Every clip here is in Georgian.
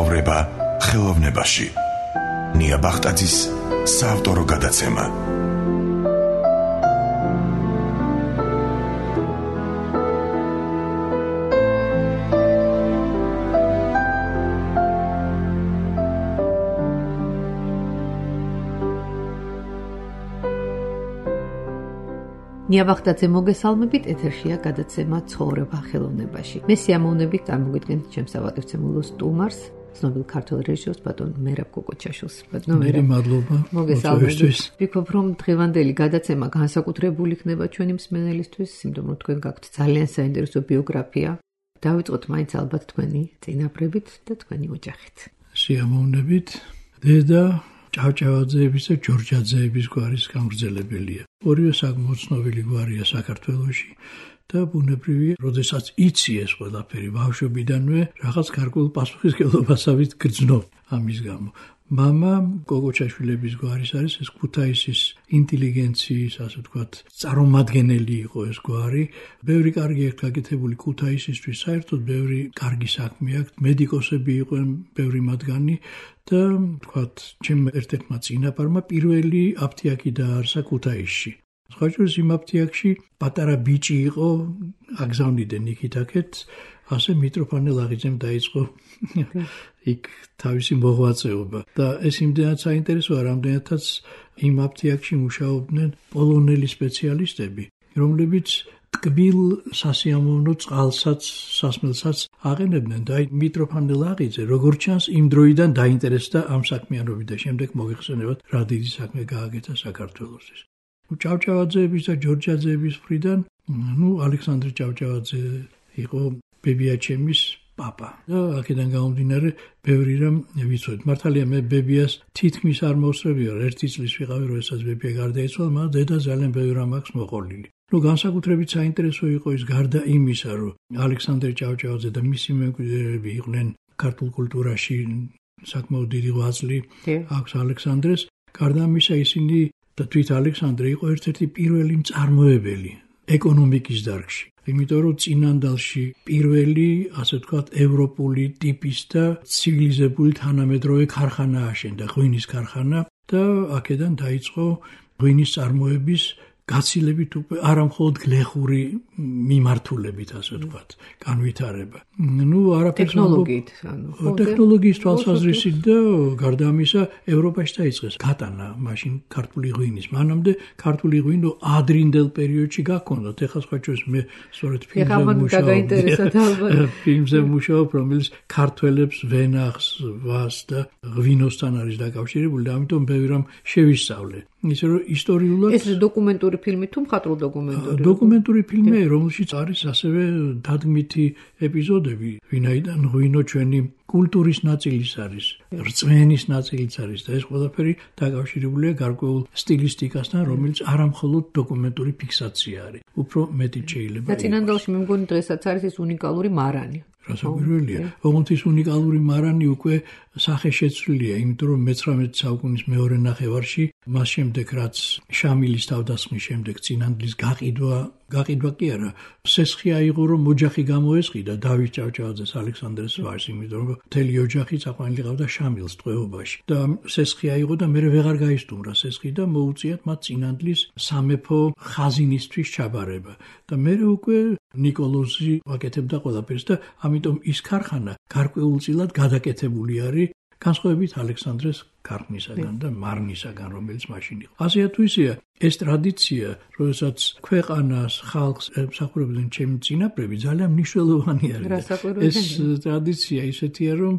ცხოვრება ხელოვნებაში. ნია ბახტაძის საავტორო გადაცემა. ნია ბახტაძე მოგესალმებით, ეთერშია გადაცემა ცხოვრება ხელოვნებაში. მე სიამოვნებით წარმოგიდგენთ ჩემს ავადმცემულო სტუმარს, ცნობილ ქართველ რეჟისორს ბატონ მერაბ კოკოჩაშვილს. მე მადლობა. მოგესალმებით. ვფიქრობ, რომ დღევანდელი გადაცემა განსაკუთრებული იქნება ჩვენი მსმენელისთვის, იმიტომ რომ თქვენ გაქვთ ძალიან საინტერესო ბიოგრაფია. დავიწყოთ მაინც ალბათ თქვენი წინაპრებით და თქვენი ოჯახით. სიამოვნებით. დედა ჭავჭავაძეების და ჯორჯაძეების გვარის გამგრძელებელია. ორივე საკმაოდ ცნობილი გვარია საქართველოში და ბუნებრივია, როდესაც იცი ეს ყველაფერი ბავშვობიდანვე, რაღაც გარკვეულ პასუხისმგებლობასავით გრძნობ ამის გამო. მამა კოკოჩაშვილების გვარის არის, ეს ქუთაისის ინტელიგენციის, ასე ვთქვათ, წარმომადგენელი იყო ეს გვარი. ბევრი კარგი აქვს გაკეთებული ქუთაისისთვის, საერთოდ ბევრი კარგი საქმე აქვს, მედიკოსები იყვნენ ბევრი მათგანი და ვთქვათ, ჩემ ერთ-ერთმა წინაპარმა პირველი აფთიაქი დააარსა ქუთაისში. სხვაჭროს იმ აფთიაქში პატარა ბიჭი იყო, აგზავნიდნენ იქით-აქეთ, ასე მიტროფანე ლაღიძემ დაიწყო იქ თავისი მოღვაწეობა და ეს იმდენად საინტერესოა, რამდენადაც იმ აფთიაქში მუშაობდნენ პოლონელი სპეციალისტები, რომლებიც ტკბილ სასიამოვნო წყალსაც, სასმელსაც აყენებდნენ და მიტროფანე ლაღიძე, როგორც ჩანს, იმ დროიდან დაინტერესდა ამ საქმიანობით და შემდეგ მოგეხსენებათ, რა დიდი საქმე გააკეთა საქართველოსთვის. ჭავჭავაძეების და ჯორჯაძეების მხრიდან, ალექსანდრე ჭავჭავაძე იყო ბებიაჩემის პაპა და აქედან გამომდინარე ბევრი რამ ვიცოდით. მართალია მე ბებიას თითქმის არ მოვსწრებია, ერთი წლის ვიყავი, როდესაც ბებია გარდაიცვალა, მაგრამ დედა ძალიან ბევრი რამ აქვს მოყოლილი. განსაკუთრებით საინტერესო იყო ის, გარდა იმისა, რომ ალექსანდრე ჭავჭავაძე და მისი მემკვიდრეები იყვნენ ქართულ კულტურაში საკმაოდ დიდი ღვაწლი აქვს ალექსანდრეს, გარდა ამისა ისინი და თვით ალექსანდრე იყო ერთ-ერთი პირველი მწარმოებელი ეკონომიკის დარგში. იმიტომ რომ წინანდალში პირველი, ასე ვთქვათ, ევროპული ტიპის და ცივილიზებული თანამედროვე ქარხანა აშენდა, ღვინის ქარხანა და აქედან დაიწყო ღვინის წარმოების გაცილებით უკვე არა მხოლოდ გლეხური მიმართულებით, ასე ვთქვათ, განვითარება. არაფერს ტექნოლოგიის თვალსაზრისით და გარდა ამისა ევროპაში დაიწყეს გატანა მაშინ ქართული ღვინის. მანამდე ქართული ღვინო ადრინდელ პერიოდში გაქონდათ. ეხლა სხვაჭროს მე სწორედ ფილმზე მუშაობ, რომელიც ქართველებს ვენახს, ვას და ღვინოსთან არის დაკავშირებული და ამიტომ ბევრი რამ შევისწავლე. ისე რომ ისტორიულად ეს დოკუმენტური ფილმი თუ მხატვრულ დოკუმენტური? დოკუმენტური ფილმია, რომელშიც არის ასევე დადგმითი ეპიზოდები, ვინაიდან ღვინო ჩვენი კულტურის ნაწილის არის, რწმენის ნაწილიც არის და ეს ყველაფერი დაკავშირებულია გარკვეულ სტილისტიკასთან, რომელიც არა მხოლოდ დოკუმენტური ფიქსაცია არის, უფრო მეტი შეიძლება. და წინანდალში მე მგონი დღესაც არის ეს უნიკალური მარანი. რასაკვირველია, ოღონდ ის უნიკალური მარანი უკვე სახეშეცვლილია, იმიტომ რომ მე-19 საუკუნის მეორე ნახევარში, მას შემდეგ რაც შამილის თავდასხმის შემდეგ წინანდლის გაყიდვა კი არა, სესხი აიღო, რომ ოჯახი გამოესყიდა დავით ჭავჭავაძეს, ალექსანდრეს ვაჟს, იმიტომ რომ მთელი ოჯახი წაყვანილი ყავდა შამილს ტყვეობაში და სესხი აიღო და მე ვეღარ გაისტუმრა სესხი და მოუწიათ მათ წინანდლის სამეფო ხაზინისთვის ჩაბარება და მე უკვე ნიკოლოზი აკეთებდა ყველაფერს და ამიტომ ის ქარხანა გარკვეულწილად გადაკეთებული არის განსხვავებით ალექსანდრეს ქარხნისაგან და მარნისაგან, რომელიც მაშინ იყო. ასეა თუ ისეა, ეს ტრადიცია, როდესაც ქვეყანას, ხალხს ემსახურებდნენ ჩემი წინაპრები, ძალიან მნიშვნელოვანი არის. ეს ტრადიცია ისეთია, რომ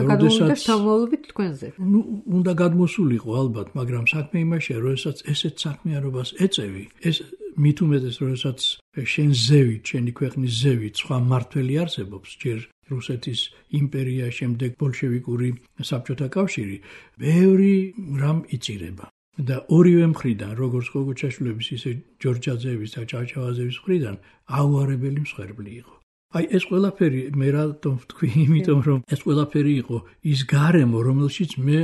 როდესაც თავმოვლობით თქვენზე. უნდა გადმოსულიყო ალბათ, მაგრამ საქმე იმაშია, როდესაც ესეთ საქმიანობას ეწევი, ეს მით უმეტეს, როდესაც შენ ზევით, შენი ქვეყნის ზევით სხვა მმართველი არსებობს, ჯერ რუსეთის იმპერია, შემდეგ ბოლშევიკური საბჭოთა კავშირი, ბევრი რამ იწირება. და ორივე მხრიდან, როგორც კოკოჩაშვილების, ისე ჯორჯაძეების და ჭავჭავაძეების მხრიდან აუარებელი მსხვერპლი იყო. ეს ყველაფერი მე რატომ ვთქვი, იმიტომ რომ ეს ყველაფერი იყო ის გარემო, რომელშიც მე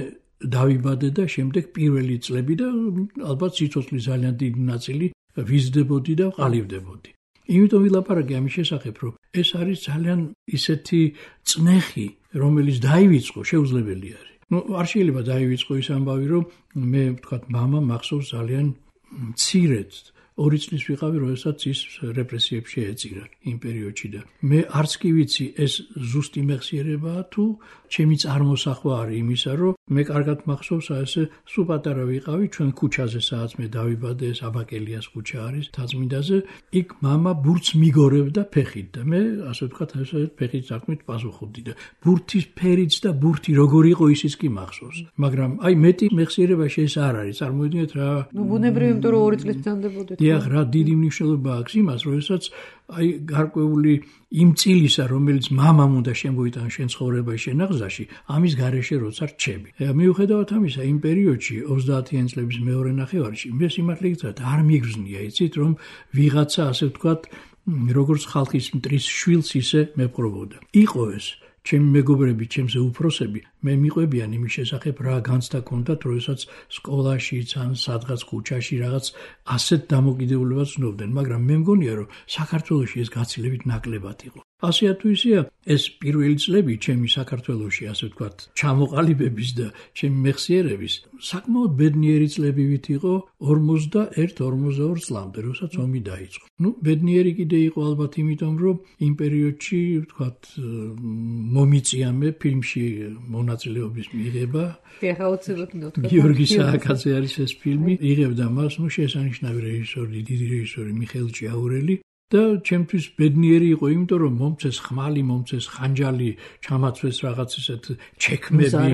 დავიბადე და შემდეგ პირველი წლები და ალბათ სიცოცხლის ძალიან დიდი ნაწილი ვიზრდებოდი და ვყალიბდებოდი. იმიტომ ვილაპარაკე ამის შესახებ, რომ ეს არის ძალიან ისეთი წნეხი რომელიც დაივიწყო, შეუძლებელი არის. არ შეიძლება დაივიწყო ის ამბავი, რომ მე ვთქვათ, მამა მახსოვს ძალიან მცირედ 2 წლის ვიყავი, როდესაც ის რეპრესიებში ეწირა იმ პერიოდში და მე არც კი ვიცი ეს ზუსტი მეხსიერებაა თუ ჩემი წარმოსახვა არის იმისა, რომ მე კარგად მახსოვს ესე სულ პატარა ვიყავი ჩვენ ქუჩაზე, სადაც მე დავიბადე, ეს აბაკელიას ქუჩა არის თაზმინდაზე, იქ მამა ბურთს მიგორებდა ფეხით და მე ასე ვთქვათ, ესე ფეხით ზარქმით პასუხობდი და ბურთის ფერიც და ბურთი როგორ იყო ისიც კი მახსოვს, მაგრამ აი მეტი მეხსიერებაში ეს არ არის, წარმოიდგინეთ რა. ბუნებრივი, იმიტომ რომ 2 წლის ბრძანდებოდეთ. დიახ, რა დიდი მნიშვნელობა აქვს იმას, როდესაც აი გარკვეული იმ წილისა, რომელიც მამამ უნდა შემოიტანო შენ ცხოვრებაში, შენ აღზაში, ამის გარეშე როცა რჩები. მიუხედავად ამისა, იმ პერიოდში 30-იან წლების მეორე ნახევარში მე სიმართლე გითხრათ, არ მიგრძნია, იცით, რომ ვიღაცა ასე ვთქვათ, როგორც ხალხის მტრის შვილს ისე მეპყრობოდა. იყო ეს ჩემი მეგობრები, ჩემზე უფროსები, მე მიყვებიან იმის შესახებ, რა განცდა ჰქონდათ, როდესაც სკოლაშიც ან სადღაც ქუჩაში რაღაც ასეთ დამოკიდებულებას ვცნობდნენ, მაგრამ მე მგონია, რომ საქართველოში ეს გაცილებით ნაკლებად იყო. ასეა თუ ისეა, ეს პირველი წლები ჩემი საქართველოში, ასე ვთქვათ, ჩამოყალიბების და ჩემი მეხსიერების საკმაოდ ბედნიერი წლებივით იყო 41-42 წლამდე, როდესაც ომი დაიწყო. ბედნიერი კიდე იყო ალბათ იმიტომ, რომ იმ პერიოდში, ვთქვათ, მომიწია მე ფილმში მონაწილეობის მიღება. გიორგი სააკაძე არის ეს ფილმი, იღებდა მას, შესანიშნავი რეჟისორი, დიდი რეჟისორი მიხეილ ჭიაურელი. და ჩემთვის ბედნიერი იყო, იმიტომ რომ მომწეს ხმალი, მომწეს ხანჯალი, ჩამაცვეს რაღაც ისეთ ჩექმები,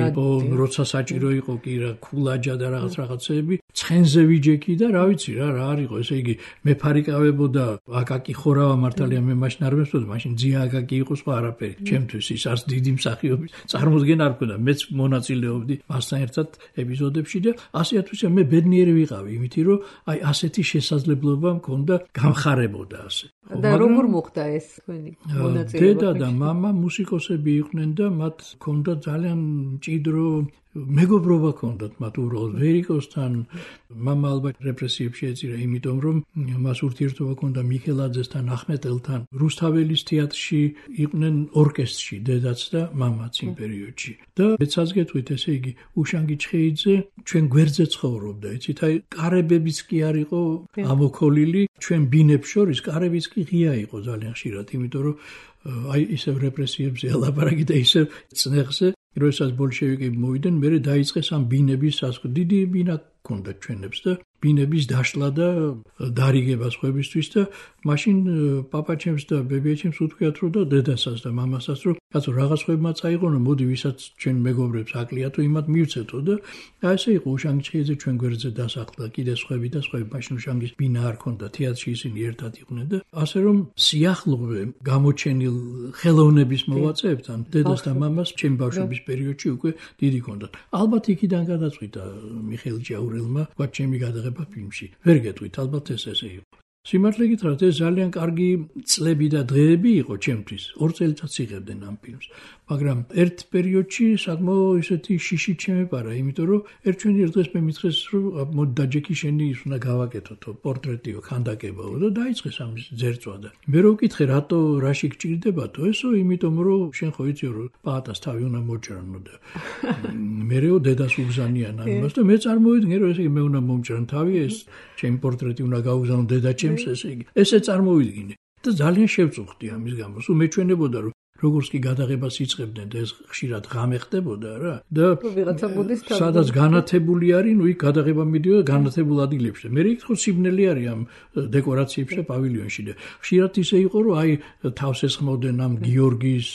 როცა საჭირო იყო კი რა ქულაჯა და რაღაცები, ცხენზე ვიჯექი და რა ვიცი რა არ იყო, ესე იგი მე ფარიკავებოდა აკაკი ხორავა მართალია მე მაშინ არ მესწოდა, მაშინ ძია აკაკი იყო სხვა არაფერი. ჩემთვის ის არც დიდი მსახიობის წარმოდგენა არ მქონდა, მეც მონაწილეობდი მასთან ერთად ეპიზოდებში და ასე თუ ისე მე ბედნიერი ვიყავი, იმითი რომ აი ასეთი შესაძლებლობა მქონდა გამხარებოდა ასე. და როგორ მოხდა ეს თქვენი მონაწილეობა? დედა და მამა მუსიკოსები იყვნენ და მათ ჰქონდა ძალიან მჭიდრო მეგობრობა ჰქონდათ მათ უბრალოდ ვერიკოსთან. მამა ალბათ რეპრესიებში ეწირა, იმიტომ რომ მას ურთიერთობა ჰქონდა მიქელაძესთან, ახმეტელთან. რუსთაველის თეატრში იყვნენ ორკესტრში დედაც და მამაც იმ პერიოდში. და მეცაც გეტყვით, ესე იგი უშანგი ჩხეიძე ჩვენ გვერდზე ცხოვრობდა, იცით, აი კარებებიც კი არ იყო ამოქოლილი, ჩვენ ბინებს შორის კარებიც კი ღია იყო ძალიან ხშირად, იმიტომ რომ აი ისევ რეპრესიებზე ელაპარაკი და ისევ წნეხზე როდესაც ბოლშევიკები მოვიდნენ, მერე დაიწყეს ამ ბინების სასკო. დიდი ბინა ჰქონდა ჩვენებს და ბინების დაშლა და დარიგება სხვებისთვის და მაშინ პაპაჩემს და ბებიაჩემს უთქვიათ რომ და დედასაც და მამასაც რომ კაცო რაღაც ხვებმა წაიღონო, მოდი ვისაც ჩვენ მეგობრებს აკლია თუ იმათ მივცეთო და ასე იყო უშანგი ჩხეიძე ჩვენ გვერდზე დასახლდა, კიდე სხვები და სხვები. მაშინ უშანგის ბინა არ ჰქონდა, თეატრში ისინი ერთად იყვნენ და ასე რომ სიახლოვე გამოჩენილ ხელოვნების მოვაწეებთან დედას და მამას ჩემი ბავშვობის პერიოდში უკვე დიდი ჰქონდათ. ალბათ იქიდან გადაწყვიტა მიხეილ ჭიაურელმა ვთქვათ ჩემი გადაღება ფილმში. ვერ გეტყვით, ალბათ ეს ესე იყო. სიმართლე გითხრათ, ეს ძალიან კარგი წლები და დღეები იყო ჩემთვის. 2 წელიწადს იღებდნენ ამ ფილმს, მაგრამ ერთ პერიოდში საკმაოდ ისეთი შიში ჩემეპარა, იმიტომ რომ ერთ დღეს მე მითხრეს, რომ მოდი დაჯექი შენი ის უნდა გავაკეთოთო, პორტრეტიო, ქანდაკებაო და დაიწყეს ამის ძერწვა და მე რო ვკითხე, რატო რაში გჭირდებათო, ესო იმიტომ რომ შენ ხო იცი რომ პაატას თავი უნდა მოჭრანო და მერეო დედას უგზანიან ამას და მე წარმოვიდგინე რომ ესე იგი მე უნდა მომჭრან თავი, ეს ჩემი პორტრეტი უნდა გავუგზავნო დედაჩემს, ესე იგი ესე წარმოვიდგინე და ძალიან შევწუხდი ამის გამო. სულ მეჩვენებოდა რომ როგორც კი გადაღებას იწყებდნენ და ეს ხშირად ღამე ხდებოდა რა და სადაც განათებული არის, ნუ იქ გადაღება მიდიოდა განათებულ ადგილებში. მე რიქო სიბნელი არის ამ დეკორაციებში და პავილიონში და ხშირად ისე იყო რომ აი თავს ესხმოდნენ ამ გიორგის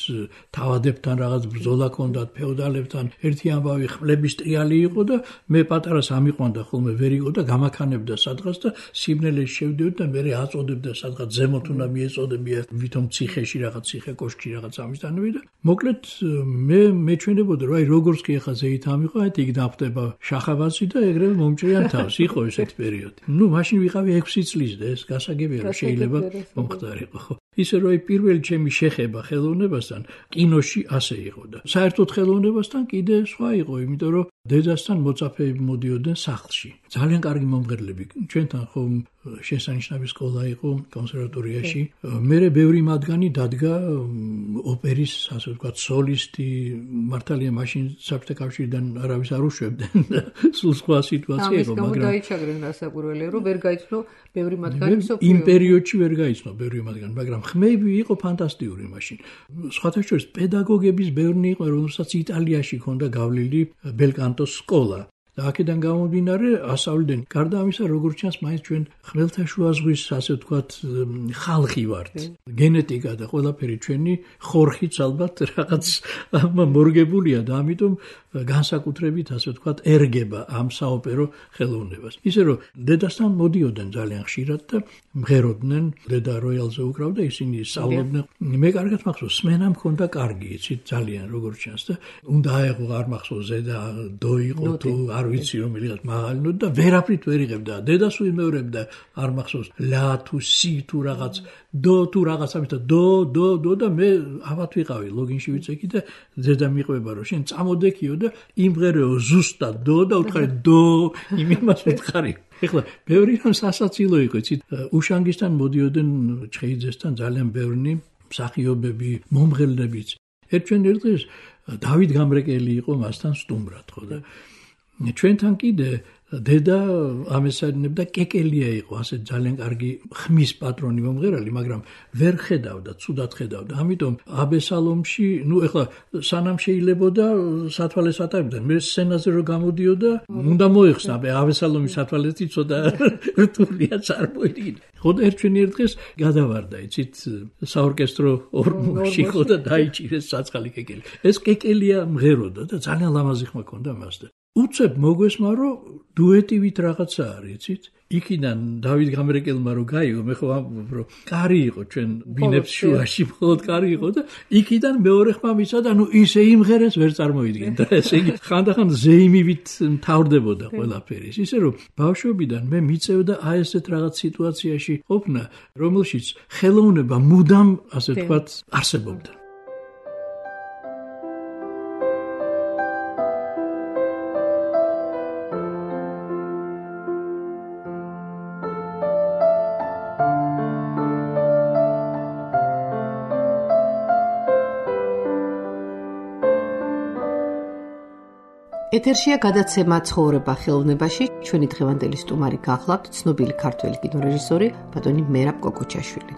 თავადებთან რაღაც ბრძოლა ჰქონდათ ფეოდალებთან. ერთი ამბავი ხმლების ტრიალი იყო და მე პატარას ამიყვანდა ხოლმე ვერ იყო და გამაქანებდა სადღაც და სიბნელეში შევდივდი და მე აწოდებდა სადღაც ზემოთ უნდა მიეწოდებია ვითომ ციხეში რაღაც ციხე კოშკში რაღაც ამისთანები და მოკლედ მე მეჩვენებოდა რომ აი როგორც კი ახლა ზეით ამიყო, აი იქ დაფდება შახაბასი და ეგრევე მომჭრიან თავს. იყო ესეთი პერიოდი. ნუ მაშინ ვიყავი 6 წლის და ეს გასაგებია რომ შეიძლება მომხდარიყო. ხო ისე რომ პირველი ჩემი შეხება ხელოვნებასთან კინოში ასე იყო და საერთოდ ხელოვნებასთან კიდე სხვა იყო, იმიტომ რომ დედასთან მოწაფეები მოდიოდნენ სახლში. ძალიან კარგი მომღერლები. ჩვენთან ხომ შესანიშნავი სკოლა იყო კონსერვატორიაში. მერე ბევრი მათგანი დადგა ოპერის, ასე ვთქვათ, სოლისტი, მართალია მაშინ საბჭოთა კავშირიდან არავის არ უშვებდნენ. სულ სხვა სიტუაცია იყო, მაგრამ დაიჩაგრენ რასაკვირველია, რომ ვერ გაიცნო ბევრი მათგანი მსოფლიო. იმ პერიოდში ვერ გაიცნო ბევრი მათგანი, მაგრამ ხმები იყო ფანტასტიკური მაშინ. სხვათა შორის პედაგოგების ბევრი იყო, რომელსაც იტალიაში ჰქონდა გავლილი ბელკანტოს სკოლა. და აქედან გამომდინარე ასავლდნენ. გარდა ამისა, როგორც ჩანს, მაინც ჩვენ ხმელთაშუა ზღვის, ასე ვთქვათ, ხალხი ვართ. გენეტიკა და ყველაფერი ჩვენი ხორხიც ალბათ რაღაც მორგებულია და ამიტომ განსაკუთრებით, ასე ვთქვათ, ერგება ამ საოპერო ხელოვნებას. ისე რომ დედასთან მოდიოდნენ ძალიან ხშირად და მღეროდნენ, დედა როიალზე უკრავდა, ისინი სწავლობდნენ. მე კარგად მახსოვს, სმენა მქონდა კარგი, იცით, ძალიან როგორც ჩანს და უნდა აეღო არ მახსოვს ზედა დო იყო თუ არ ვიცი რომ მიღეთ მაღალი ნოტა და ვერაფრით ვერ იღებდა. დედას უიმეორებდა, არ მახსოვს ლა თუ სი თუ რაღაც დო თუ რაღაცა მით დო და მე ავათ ვიყავი ლოგინში ვიცექი და დედა მიყვება რომ შენ წამოდექიო და იმღერეო ზუსტად დო და უთხარი დო იმას ვითხარი. ეხლა ბევრი რამ სასაცილო იყო, იცით, უშანგისთან მოდიოდნენ ჩხეიძესთან ძალიან ბევრი მსახიობები, მომღერლებიც. ერთვენ ერთის დავით გამრეკელი იყო მასთან სტუმრად, ხო და ჩვენთან კიდე დედა ამესაინებდა კეკელია იყო, ასე ძალიან კარგი ხმის პატრონი მომღერალი, მაგრამ ვერ ხედავდა, ცუდად ხედავდა. ამიტომ აბესალომში, ეხლა სანამ შეიძლებოდა სათვალეს ატარებდნენ. მე სცენაზე რო გამოდიოდა, უნდა მოეხსნა, აბესალომის სათვალეთი ცოტა რთულია წარმოიდგინე. ხო და ერთვენ ერთ დღეს გადავარდა, იცით, საორკესტრო ორმოში ხო და დაიჭირეს საწყალი კეკელი. ეს კეკელია მღეროდა და ძალიან ლამაზი ხმა ჰქონდა მასთან. უცებ მოგვესმა რომ დუეტივით რაღაცა არის, იცით? იქიდან დავით გამრეკელმა რო გაიგო, მე ხო ამბობ რომ კარი იყო ჩვენ ბინებს შუაში, მხოლოდ კარი იყო და იქიდან მეორე ხმა მისცა და ნუ ისე იმღერეს ვერ წარმოიდგინე და ესე იგი ხანდახან ზეიმივით მთავრდებოდა ყველაფერი. ისე რომ ბავშვობიდან მე მიწევდა აი ესეთ რაღაც სიტუაციაში ყოფნა, რომელშიც ხელოვნება მუდამ, ასე ვთქვათ, არსებობდა. ეთერშია გადაცემა ცხოვრება ხელოვნებაში. ჩვენი დღევანდელი სტუმარი გახლავთ ცნობილი ქართველი კინორეჟისორი ბატონი მერაბ კოკოჩაშვილი.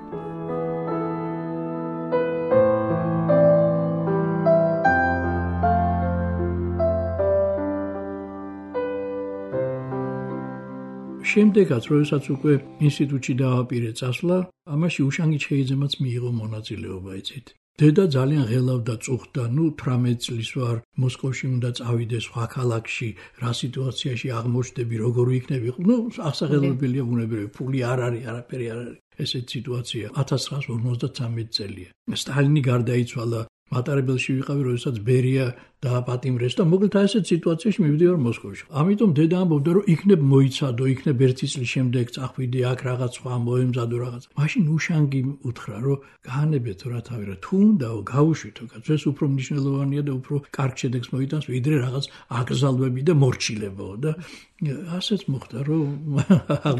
შემდეგაც, როდესაც უკვე ინსტიტუტში დავაპირე წასვლა, ამაში უშანგი ჩხეიძემაც მიიღო მონაწილეობა, იცით. დედა ძალიან ღელავდა, წუხდა, 18 წლის ვარ, მოსკოვში უნდა წავიდე სხვა ქალაქში, რა სიტუაციაში აღმოჩნდები, როგორ იქნები. აღსაღელველია ბუნებრივი, ფული არ არის, არაფერი არ არის. ესეთ სიტუაცია 1953 წელია. სტალინი გარდაიცვალა, მატარებელში ვიყავი, როდესაც ბერია დააპატიმრეს და მოკლედ ასეთ სიტუაციაში მივდივარ მოსკოვში. ამიტომ დედა ამბობდა, რომ იქნებ მოიცადო, იქნებ 1 წლის შემდეგ წახვიდე აქ რაღაც სხვა მოემზადო რაღაც. მაშინ უშანგი უთხრა, რომ გაანებეთ რა თავი რა, თუ უნდაო გავუშვითო, ეს უფრო მნიშვნელოვანია და უფრო კარგ შედეგს მოიტანს, ვიდრე რაღაც აკრძალვები და მორჩილებაო და ასეც მოხდა, რომ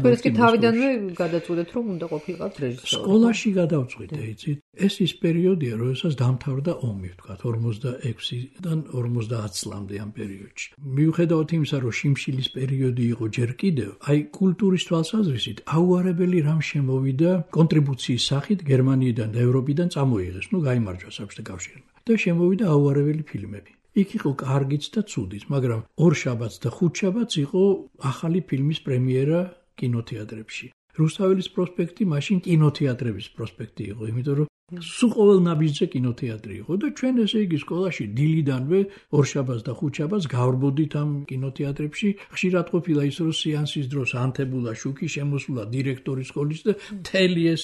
თქვენს კი თავიდანვე გადაწყვეტეთ, რომ უნდა ყოფილიყავთ რეჟისორი. სკოლაში გადავწყვიტე, იცით. ეს ის პერიოდია, როდესაც დამთავრდა ომი, ვთქვათ, 46-დან 50 წლამდე ამ პერიოდში. მიუხედავად იმისა, რომ შიმშილის პერიოდი იყო ჯერ კიდევ, აი კულტურის თვალსაზრისით აუარებელი რამ შემოვიდა კონტრიბუციის სახით გერმანიიდან და ევროპიდან წამოიღეს, გაიმარჯვა საბჭოთა კავშირმა. და შემოვიდა აუარებელი ფილმები. იქ იყო კარგიც და ცუდიც, მაგრამ ორშაბათს და ხუთშაბათს იყო ახალი ფილმის პრემიერა კინოთეატრებში. რუსთაველის პროსპექტი მაშინ კინოთეატრების პროსპექტი იყო, იმიტომ რომ სულ ყოველ ნაბიჯზე კინოთეატრი იყო და ჩვენ ესე იგი სკოლაში დილიდანვე ორშაბათს და ხუთშაბათს გავრბოდით ამ კინოთეატრებში. ხშირად ყოფილა ის, რომ სეანსის დროს ანთებულა შუქი, შემოსულა დირექტორი სკოლის და მთელი ეს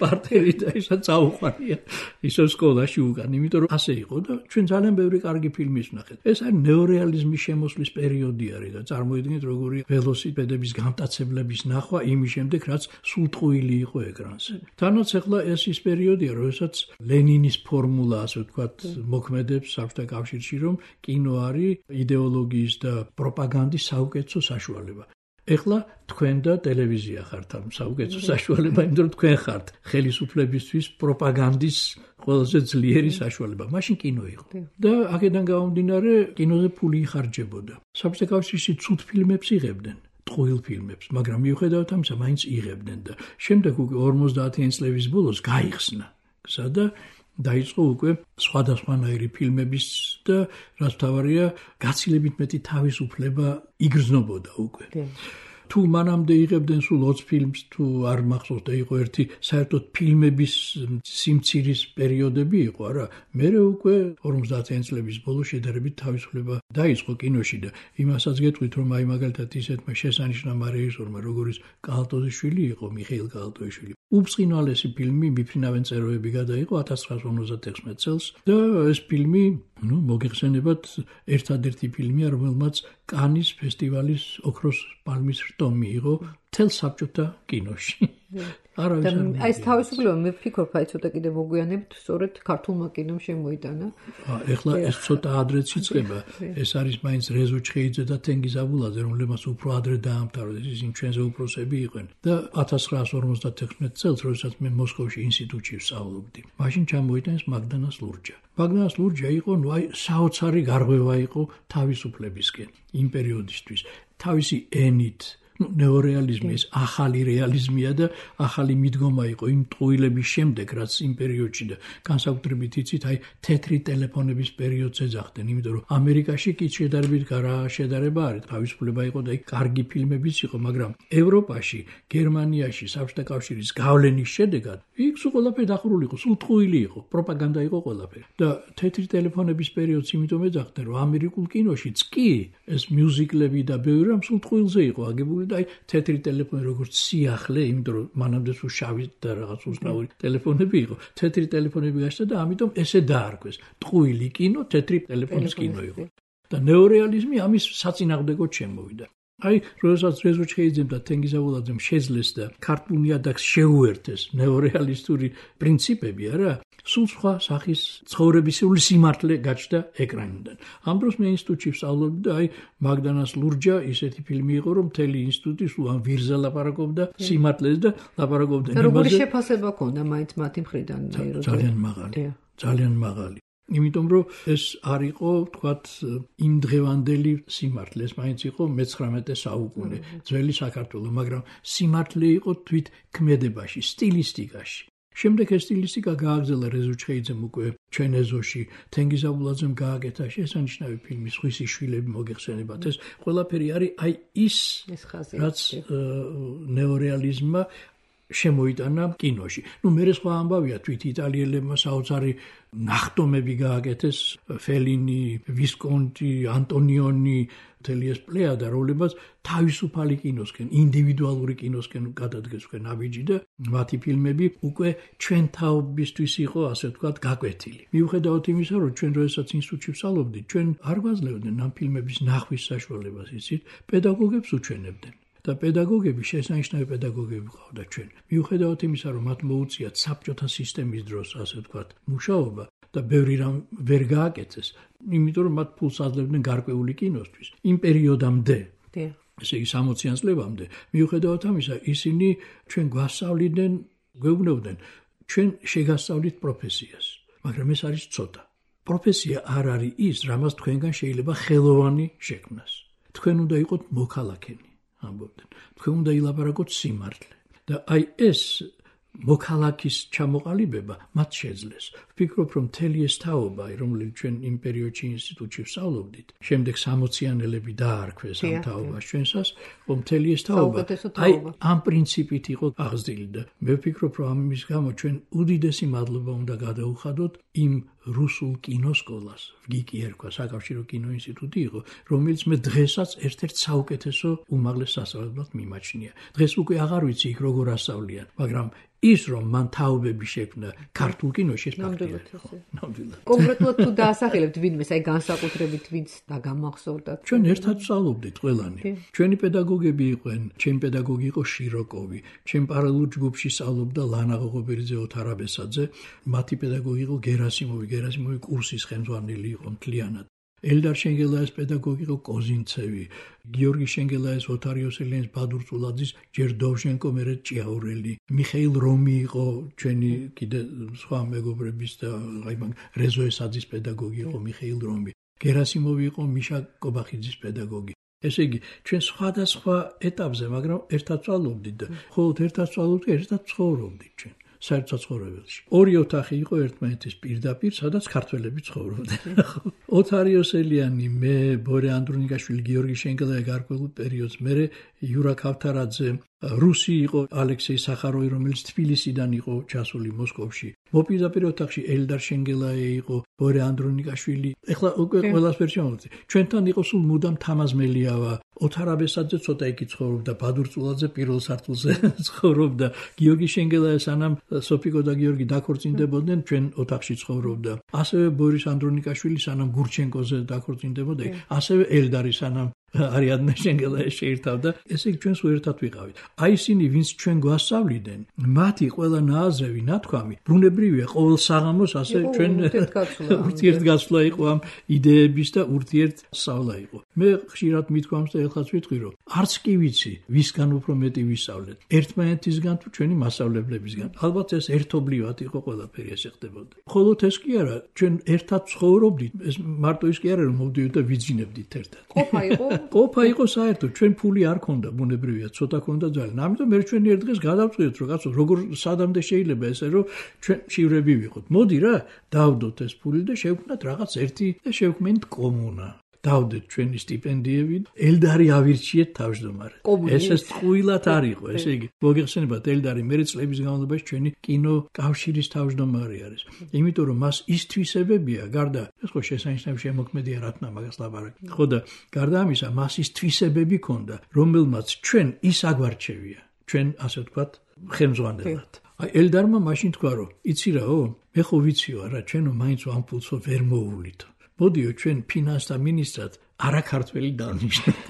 პარტერი და ისა წაუყვანია ისო სკოლაში უკან, იმიტომ რომ ასე იყო და ჩვენ ძალიან ბევრი კარგი ფილმის ვნახეთ. ეს არის ნეორეალიზმის შემოსვლის პერიოდი არის და წარმოიდგინეთ როგორი ველოსიპედების გამტაცებლების ნახვა იმის შემდეგ, რაც სულტყუილი იყო ეკრანზე. თანაც ახლა ეს ის პერიოდი როდესაც ლენინის ფორმულა, ასე ვთქვათ, მოქმედებს საბჭოთა კავშირში, რომ კინო არის იდეოლოგიის და პროპაგანდის საუკეთესო საშუალება. ეხლა თქვენ და ტელევიზია ხართ ამ საუკეთესო საშუალება, იმიტომ რომ თქვენ ხართ ხელისუფლებისთვის პროპაგანდის ყველაზე ძლიერი საშუალება. მაშინ კინო იყო. და აქედან გამომდინარე კინოზე ფული იხარჯებოდა. საბჭოთა კავშირში ცუდ ფილმებს იღებდნენ. ტყუილ ფილმებს, მაგრამ მიუხედავად ამისა, მაინც იღებდნენ და შემდეგ უკვე 50-იანი წლების ბოლოს გაიხსნა გზა და დაიწყო უკვე სხვადასხვანაირი ფილმების და რაც მთავარია, გაცილებით მეტი თავისუფლება იგრძნობოდა უკვე. თუ მანამდე იღებდნენ სულ 20 ფილმს, თუ არ მახსოვს და იყო ერთი საერთოდ ფილმების სიმცირის პერიოდები იყო, არა, მერე უკვე 50-იანი წლების ბოლოს შედარებით თავისუფლება დაიწყო კინოში და იმასაც გეტყვით, რომ აი მაგალითად ისეთმა შესანიშნავმა რეჟისორმა, როგორიც კალატოზიშვილი იყო, მიხეილ კალატოზიშვილი, უბწყინვალესი ფილმი მიფრინავენ წეროები გადაიღო 1956 წელს და ეს ფილმი, მოგეხსენებათ, ერთადერთი ფილმია, რომელმაც კანის ფესტივალის ოქროს პალმის რტო მიიღო მთელ საბჭოთა კინოში. აი ეს თავისუფლება მე ვფიქრობ, აი ცოტა კიდე მოგვიანებით, სწორედ ქართულმა კინომ შემოიტანა. ეხლა ეს ცოტა ადრეც იწყება. ეს არის მაინც რეზო ჩხეიძე და თენგიზ აბულაძე, რომლებმაც უფრო ადრე დაამთავრეს, ისინი ჩვენზე უფროსები იყვნენ. და 1956 წელს, როდესაც მე მოსკოვში ინსტიტუტში ვსწავლობდი, მაშინ ჩამოიტანეს მაგდანას ლურჯა. მაგდანას ლურჯა იყო, საოცარი გარღვევა იყო თავისუფლებისკენ იმ პერიოდისთვის. თავისი ენით ნეორეალიზმი ეს ახალი რეალიზმია და ახალი მიდგომა იყო იმ ტყუილების შემდეგ, რაც იმ პერიოდში და განსაკუთრებით იცით, აი თეთრი ტელეფონების პერიოდს ეძახდნენ, იმიტომ რომ ამერიკაში კი შედარებით რა შედარება არის, თავისუფლება იყო და კარგი ფილმებიც იყო, მაგრამ ევროპაში, გერმანიაში, საბჭოთა კავშირის გავლენის შედეგად იქ სულ ყველაფერი დახურული იყო, სულ ტყუილი იყო, პროპაგანდა იყო ყველაფერი. და თეთრი ტელეფონების პერიოდს იმიტომ ეძახდნენ, რომ ამერიკულ კინოშიც კი ეს მიუზიკლები და ბევრი რამ სულ ტყუილზე იყო აგებული. და აი თეთრი ტელეფონი როგორც სიახლე, იმიტომ რომ მანამდე სულ შავი და რაღაც უცნაური ტელეფონები იყო. თეთრი ტელეფონები გაშდა და ამიტომ ესე დაარქვეს. ტყუილი კინო თეთრი ტელეფონის კინო იყო. და ნეორეალიზმი ამის საწინააღმდეგოდ შემოვიდა. აი, როდესაც რეზო ჩხეიძემ და თენგიზ აბულაძემ შეძლეს და ქართულ ნიადაგს შეუერთეს ნეორეალისტური პრინციპები, არა, სულ სხვა სახის ცხოვრებისეული სიმართლე გაჩნდა ეკრანიდან. ამ დროს მე ინსტიტუტში ვსწავლობდი და აი მაგდანას ლურჯა ისეთი ფილმი იყო, რომ მთელი ინსტიტუტი სულ ამ ვირზე ლაპარაკობდა სიმართლეს და ლაპარაკობდა იმაზე. როგორი შეფასება ჰქონდა მაინც მათი მხრიდან? ძალიან მაღალი. ძალიან მაღალი. იმიტომ რომ ეს არ იყო, თქვათ, იმ დღევანდელი სიმართლე, ეს მაინც იყო მე-19 საუკუნე, ძველი საქართველო, მაგრამ სიმართლე იყო თვით ქმედებაში, სტილისტიკაში. შემდეგ ეს სტილისტიკა გააგრძელა რეზო ჩხეიძემ უკვე ჩვენ ეზოში, თენგიზ აბულაძემ გააკეთა შესანიშნავი ფილმი სხვისი შვილები მოგეხსენებათ. ეს ყველაფერი არის აი ის რაც ნეორეალიზმმა შემოიტანა კინოში. მერე სხვა ამბავია, თვით იტალიელებმა საოცარი ნახტომები გააკეთეს, ფელინი, ვისკონტი, ანტონიონი, მთელი ეს პლეიადა, რომლებმაც თავისუფალი კინოსკენ, ინდივიდუალური კინოსკენ გადადგეს უკვე ნაბიჯი და მათი ფილმები უკვე ჩვენ თაობისთვის იყო, ასე ვთქვათ, გაკვეთილი. მიუხედავად იმისა, რომ ჩვენ როდესაც ინსტიტუტში ვსწავლობდით, ჩვენ არ გვაძლევდნენ ამ ფილმების ნახვის საშუალებას, იცით, პედაგოგებს უჩვენებდნენ. და პედაგოგები, შესანიშნავი პედაგოგები ყავდა ჩვენ. მიუხედავად იმისა, რომ მათ მოუწიათ საბჭოთა სისტემის დროს, ასე ვთქვათ, მუშაობა და ბევრი რამ ვერ გააკეთეს, იმიტომ რომ მათ ფულს აძლევდნენ გარკვეული კინოსთვის. იმ პერიოდამდე, ესე იგი 60-იან წლებამდე, მიუხედავად ამისა, ისინი ჩვენ გვასწავლიდნენ, გვეუბნებდნენ, ჩვენ შეგასწავლით პროფესიას, მაგრამ ეს არის ცოტა. პროფესია არ არის ის, რამაც თქვენგან შეიძლება ხელოვანი შექმნას. თქვენ უნდა იყოთ მოქალაქენი. ამბობდნენ. თქვენ უნდა ილაპარაკოთ სიმართლე. და აი ეს მოქალაქის ჩამოყალიბება მათ შეძლეს. ვფიქრობ, რომ მთელი ეს თაობა, რომელიც ჩვენ იმ პერიოდში ინსტიტუტში ვსწავლობდით, შემდეგ 60-იანელები დაარქვეს ამ თაობას ჩვენსას, რომ მთელი ეს თაობა აი ამ პრინციპით იყო აღზრდილი და მე ვფიქრობ, რომ ამის გამო ჩვენ უდიდესი მადლობა უნდა გადაუხადოთ იმ რუსულ კინოსკოლას, ვგიკი ერქვა, საკავშირო კინოინსტიტუტი იყო, რომელიც მე დღესაც ერთ-ერთ საუკეთესო უმაღლეს სასწავლებლად მიმაჩნია. დღეს უკვე აღარ ვიცი იქ როგორ ასწავლიან, მაგრამ ის რომ მან თაობები შექმნა ქართულ კინოში ეს ფაქტია. ნამდვილად. კონკრეტულად თუ დაასახელებთ ვინმეს, აი განსაკუთრებით ვინც დაგამახსოვრდათ. ჩვენ ერთად ვსწავლობდით ყველანი. ჩვენი პედაგოგები იყვნენ, ჩემი პედაგოგი იყო შიროკოვი, ჩემ პარალელურ ჯგუფში სწავლობდა ლანა ღოღობერიძე, ოთარ აბესაძე, მათი პედაგოგი იყო გერასიმოვი კურსის ხელმძღვანელი იყო მთლიანად. ელდარ შენგელაის პედაგოგი იყო კოზინცევი, გიორგი შენგელაის, ოთარ იოსელიანის, ბადურ წულაძის, ჯერ დოვჟენკო, მერე ჭიაურელი, მიხეილ რომი იყო ჩვენი კიდე სხვა მეგობრების და რეზო ესაძის პედაგოგი იყო მიხეილ რომი, გერასიმოვი იყო მიშა კობახიძის პედაგოგი. ესე იგი, ჩვენ სხვადასხვა ეტაპზე, მაგრამ ერთად ვწავლობდით და მხოლოდ ერთად ვწავლობდით, ერთად ცხოვრობდით ჩვენ. საერთაშორისო ორი ოთახი იყო ერთმანეთის პირდაპირ, სადაც ქართველები ცხოვრობდნენ. ოთარ იოსელიანი, მე, ბორე ანდრონიკაშვილი, გიორგი შენგელაი გარკვეულ პერიოდს, მერე იურა ქავთარაძე, რუსი იყო ალექსეი სახაროვი, რომელიც თბილისიდან იყო ჩასული მოსკოვში. მოპირდაპირ ოთახში ელდარ შენგელაი იყო, ბორე ანდრონიკაშვილი. ეხლა უკვე ყველას ვერ შემოვიძე. ჩვენთან იყო სულ მუდამ თამაზ მელიავა, ოთარ აბესაძე ცოტა იქ ცხოვრობდა, ბადურ წულაძე პირველ სართულზე ცხოვრობდა, გიორგი შენგელაი სანამ სოფიკო და გიორგი დაქორწინდებოდნენ, ჩვენ ოთახში ცხოვრობდა. ასევე ბორის ანდრონიკაშვილი სანამ გურჩენკოზე დაქორწინდებოდა, ასევე ელდარი სანამ არიადნე შენგელაი შეირთავდა. ესე იგი ჩვენს ერთად ვიყავით. აი ისინი, ვინც ჩვენ გვასწავლიდნენ, მათი ყველა ნააზრევი, ნათქვამი, ბუნებრივია, ყოველ საღამოს ასე ჩვენ ურთიერთგაცვლა იყო ამ იდეების და ურთიერთსავლა იყო. მე ხშირად მithქვამს და ეხლაც ვიტყვი, რომ არც კი ვიცი, ვისგან უფრო მეტი ვისწავლეთ. ერთმანეთისგან თუ ჩვენი მასწავლებლებისგან. ალბათ ეს ერთობლივად იყო ყველაფერი ესე ხდებოდა. მხოლოდ ეს კი არა, ჩვენ ერთად ცხოვრობდით, ეს მარტო ის კი არა, რომ მოვდივით და ვიძინებდით ერთად. ყოფა იყო საერთოდ, ჩვენ ფული არ ქონდა, ბუნებრივია, ცოტა ქონდა ძალიან. ამიტომ მე ჩვენ ერთ დღეს გადავწყვიტეთ, რომ კაცო, როგორ სადამდე შეიძლება ესე, რომ ჩვენ შივრები ვიყოთ. მოდი რა, დავდოთ ეს ფული და შევქმნათ რაღაც ერთი და შევქმნით კომუნა. დავდეთ ჩვენი სტიპენდიები, ელდარი ავირჩიეთ თავმჯდომარე. ეს ტყუილად არ იყო, ესე იგი, მოგეხსენებათ, ელდარი მერე წლების განმავლობაში ჩვენი კინო კავშირის თავმჯდომარე არის. იმიტომ რომ მას ის თვისებებია, გარდა ეს ხო შესანიშნავი შემოქმედია რა თქმა მაგას ლაპარაკი. ხო და გარდა ამისა, მას ის თვისებები ქონდა, რომელმაც ჩვენ ის აგვარჩევია. ჩვენ ასე ვთქვათ, ხელმძღვანელად. აი ელდარმა მაშინ თქვა, რომ იცი რაო, მე ხო ვიციო რა, ჩვენო მაინც ამ ფულსო ვერ მოუვლითო. მოდიო ჩვენ ფინანსთა მინისტრად არაქართველი დავნიშნოთ.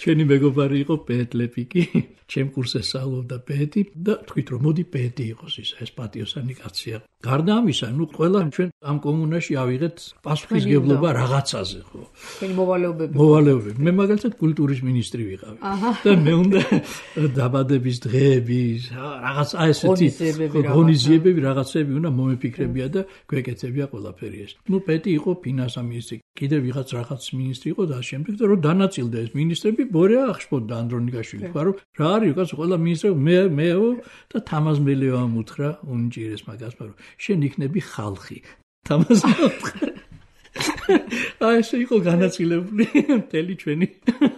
ჩვენი მეგობარი იყო პეტლეპიკი, ჩემ კურსზე სწავლობდა პეტი და თქვით რომ მოდი პეტი იყოს ის ეს პატიოსანი კაცია. გარდა ამისა, ნუ ყველა ჩვენ ამ კომუნაში ავიღეთ პასუხისგებლობა რაღაცაზე, ხო? ჩვენი მოვალეობები. მე მაგალითად კულტურის მინისტრი ვიყავი. და მე უნდა დაბადების დღეები, რაღაც აი ესეთი ღონისძიებები, რაღაცები უნდა მომეფიქრებია და გვეკეთებია ყველაფერი ეს. ნუ პეტი იყო ფინანსთა მინისტრი, კიდე ვიღაც რაღაც მინისტრი იყო და შემდეგ და რომ დანაწილდა ეს მინისტრები, ბორეა ახშფოთდა ანდრონიკაშვილი, თქვა რომ რა არის უკაც ყველა მინისტრები მეო და თამაზ მელიავამ უთხრა უნიჭირეს მაგას, მაგრამ შენ იქნები ხალხი. თამაზ აი ესე იყო განაწილებული მთელი ჩვენი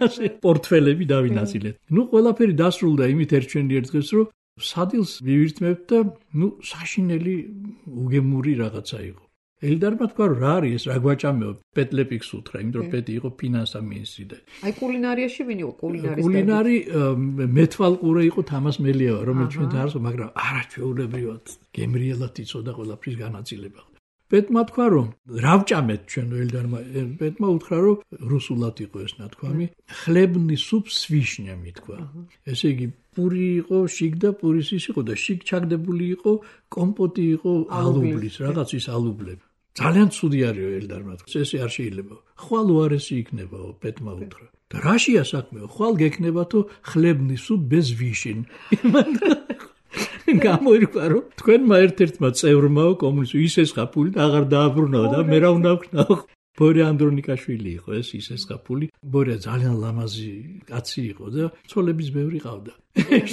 ასე პორტფელები დავინაწილეთ. ნუ ყველაფერი დასრულდა იმით ერთ დღეს, რომ სადილს ვივირთმევთ და ნუ საშინელი უგემური რაღაცა იყო. ელდარმა თქვა რა არის ეს, რა გვაჭამეო, პეტლეპიკს უთხრა, იმიტომ რომ პეტი იყო ფინანსთა მინისტრი და აი კულინარიაში ვინ იყო კულინარი მეთვალყურე იყო თამაზ მელიავა, რომელიც ჩვენ დაარსო, მაგრამ არაჩვეულებრივად გემრიელად იცოდა ყველაფრის განაწილება. პეტმა თქვა რომ რა ვჭამეთ ჩვენ ელდარმა, პეტმა უთხრა რომ რუსულად იყო ეს ნათქვამი, ხლებნი სუპ с вишнями თქვა. ესე იგი პური იყო, შიგ და პურის ის იყო და შიგ ჩაგდებული იყო, კომპოტი იყო ალუბლის, რაღაც ის ალუბლები. ძალიან ცუდი არისო ელდარმა თქვა. ესე არ შეიძლება. ხვალ უარესი იქნებაო, პეტმა უთხრა. და რაშია საქმეო? ხვალ გექნებათო ხლებნი სუპ без вишен. გამოირკვა რომ თქვენმა ერთ-ერთმა წევრმაო კომუნისტი ისეს ხაფული და აღარ დააბრუნაო და მე რა უნდა ვქნაო. ბორე ანდრონიკაშვილი იყო ეს ისეს ხაფული. ბორე ძალიან ლამაზი კაცი იყო და ცოლების ბევრი ყავდა.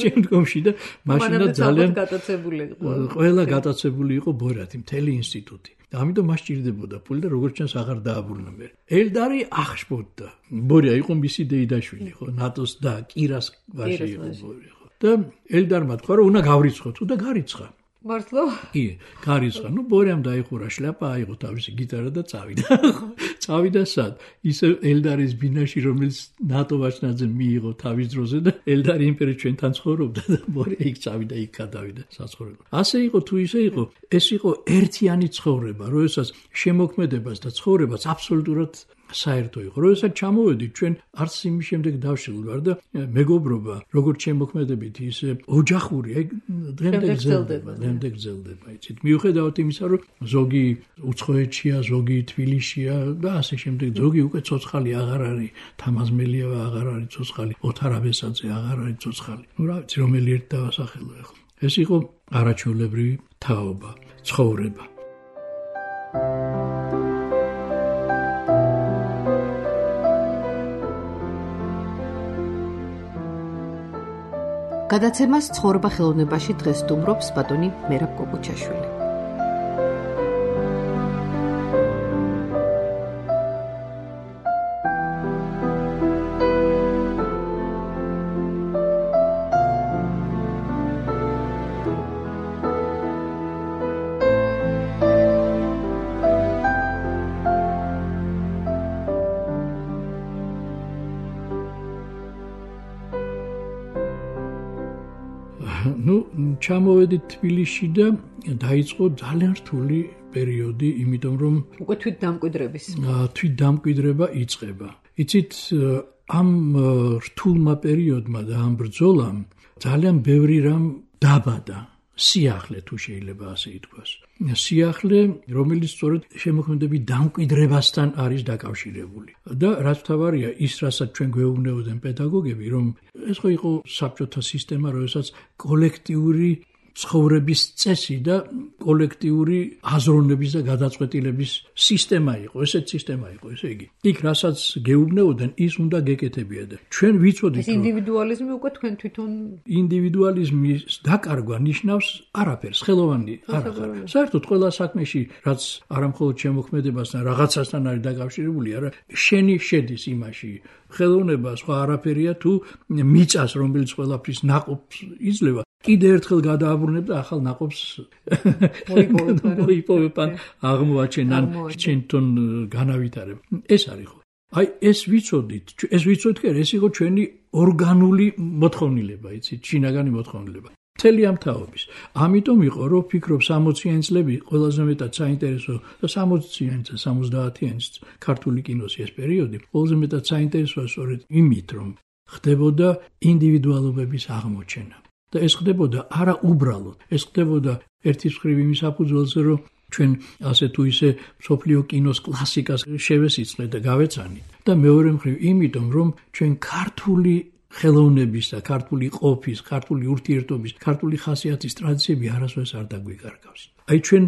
შემდგომში და მაშინა ძალიან გატაცებული იყო. ყველა გატაცებული იყო ბორათი, მთელი ინსტიტუტი. და ამიტომ მას ჭირდებოდა ფული და როგორც ჩანს აღარ დააბრუნა მე. ელდარი ახშფოთდა. ბორია იყო მისი დეიდაშვილი, ხო, ნატოს და კირას ვაჟი იყო ბორე. და ელდარმა თქვა რომ უნდა გავრიცხო თუ და გარიცხა. მართლა? კი, გარიცხა. ნუ ბორემ დაიხურა შლაპა, აიღო თავისი გიტარა და წავიდა. წავიდა სად? ისე ელდარის ბინაში, რომელიც ნატო ვაჭნაძე მიიღო თავის დროზე და ელდარი იმ პერიოდში ჩვენთან ცხოვრობდა და ბორე იქ წავიდა, იქ გადავიდა საცხოვრებლად. ასე იყო თუ ისე იყო, ეს იყო ერთიანი ცხოვრება, როდესაც შემოქმედებას და ცხოვრებას აბსოლუტურად საერთო იყო. როდესაც ჩამოვედით ჩვენ არც იმის შემდეგ დავშილ ვარ და მეგობრობა, როგორც შემოქმედებით, ისე ოჯახური, დღემდე გრძელდება, იცით. მიუხედავად იმისა, რომ ზოგი უცხოეთშია, ზოგი თბილისშია და ასე შემდეგ, ზოგი უკვე ცოცხალი აღარ არის, თამაზმელიევა აღარ არის ცოცხალი, ოთარ აბესაძე აღარ არის ცოცხალი. რა ვიცი, რომელი ერთ დავასახელო ახლა. ეს იყო არაჩვეულებრივი თაობა, ცხოვრება. გადაცემას ცხოვრება ხელოვნებაში დღეს სტუმრობს ბატონი მერაბ კოκუჩაშვილი. ჩამოვედით თბილისში და დაიწყო ძალიან რთული პერიოდი, იმიტომ რომ უკვე თვით დამკვიდრება იწყება. იცით, ამ რთულმა პერიოდმა და ამ ბრძოლამ ძალიან ბევრი რამ დაბადა. სიახლე თუ შეიძლება ასე ითქვას. სიახლე, რომელიც სწორედ შემოქმედების დამკვიდრებასთან არის დაკავშირებული. და რაც თავარია, ის რასაც ჩვენ გვეუბნებოდნენ პედაგოგები, რომ ეს ხო იყო საბჭოთა სისტემა, როდესაც კოლექტიური ცხოვრების წესი და კოლექტიური აზროვნების და გადაწყვეტილების სისტემა იყო, ესეთ სისტემა იყო, ესე იგი. იქ რასაც გეუბნებოდნენ, ის უნდა გეკეთებია და ჩვენ ვიცოდით, რომ ინდივიდუალიზმი უკვე თქვენ თვითონ ინდივიდუალიზმის დაკარგვა ნიშნავს არაფერს, ხელოვანი არ ხარ. საერთოდ ყველა საქმეში, რაც არამხოლოდ შემოქმედებასთან, რაღაცასთან არის დაკავშირებული, არა, შენი შედის იმაში. ხელოვნება სხვა არაფერია თუ მიწას, რომელიც ყველაფრის ნაყოფს იძლევა. კიდე ერთხელ გადააბრუნებ და ახალ ნაყოფს მოიპოვებ ან აღმოაჩენან ჩვენთან განავითარებ. ეს არის ხო. აი ეს ვიცოდით კი, ეს იყო ჩვენი ორგანული მოთხოვნილება, იცით, შინაგანი მოთხოვნილება. მთელი ამ თაობის. ამიტომ იყო, რომ ვფიქრობ 60-იანი წლები ყველაზე მეტად საინტერესო და 60-იანი და 70-იანი ქართული კინოს ეს პერიოდი ყველაზე მეტად საინტერესოა სწორედ იმით, რომ ხდებოდა ინდივიდუალობების აღმოჩენა. და ეს ხდებოდა არა უბრალოდ, ეს ხდებოდა ერთის მხრივ იმის საფუძველზე, რომ ჩვენ ასე თუ ისე მსოფლიო კინოს კლასიკას შევესიწყლეთ და გავეცანით. და მეორე მხრივ იმიტომ, რომ ჩვენ ქართული ხელოვნების და ქართული ყოფის, ქართული ურთიერთობის, ქართული ხასიათის ტრადიციები არასდროს არ დაგვიკარგავს. აი ჩვენ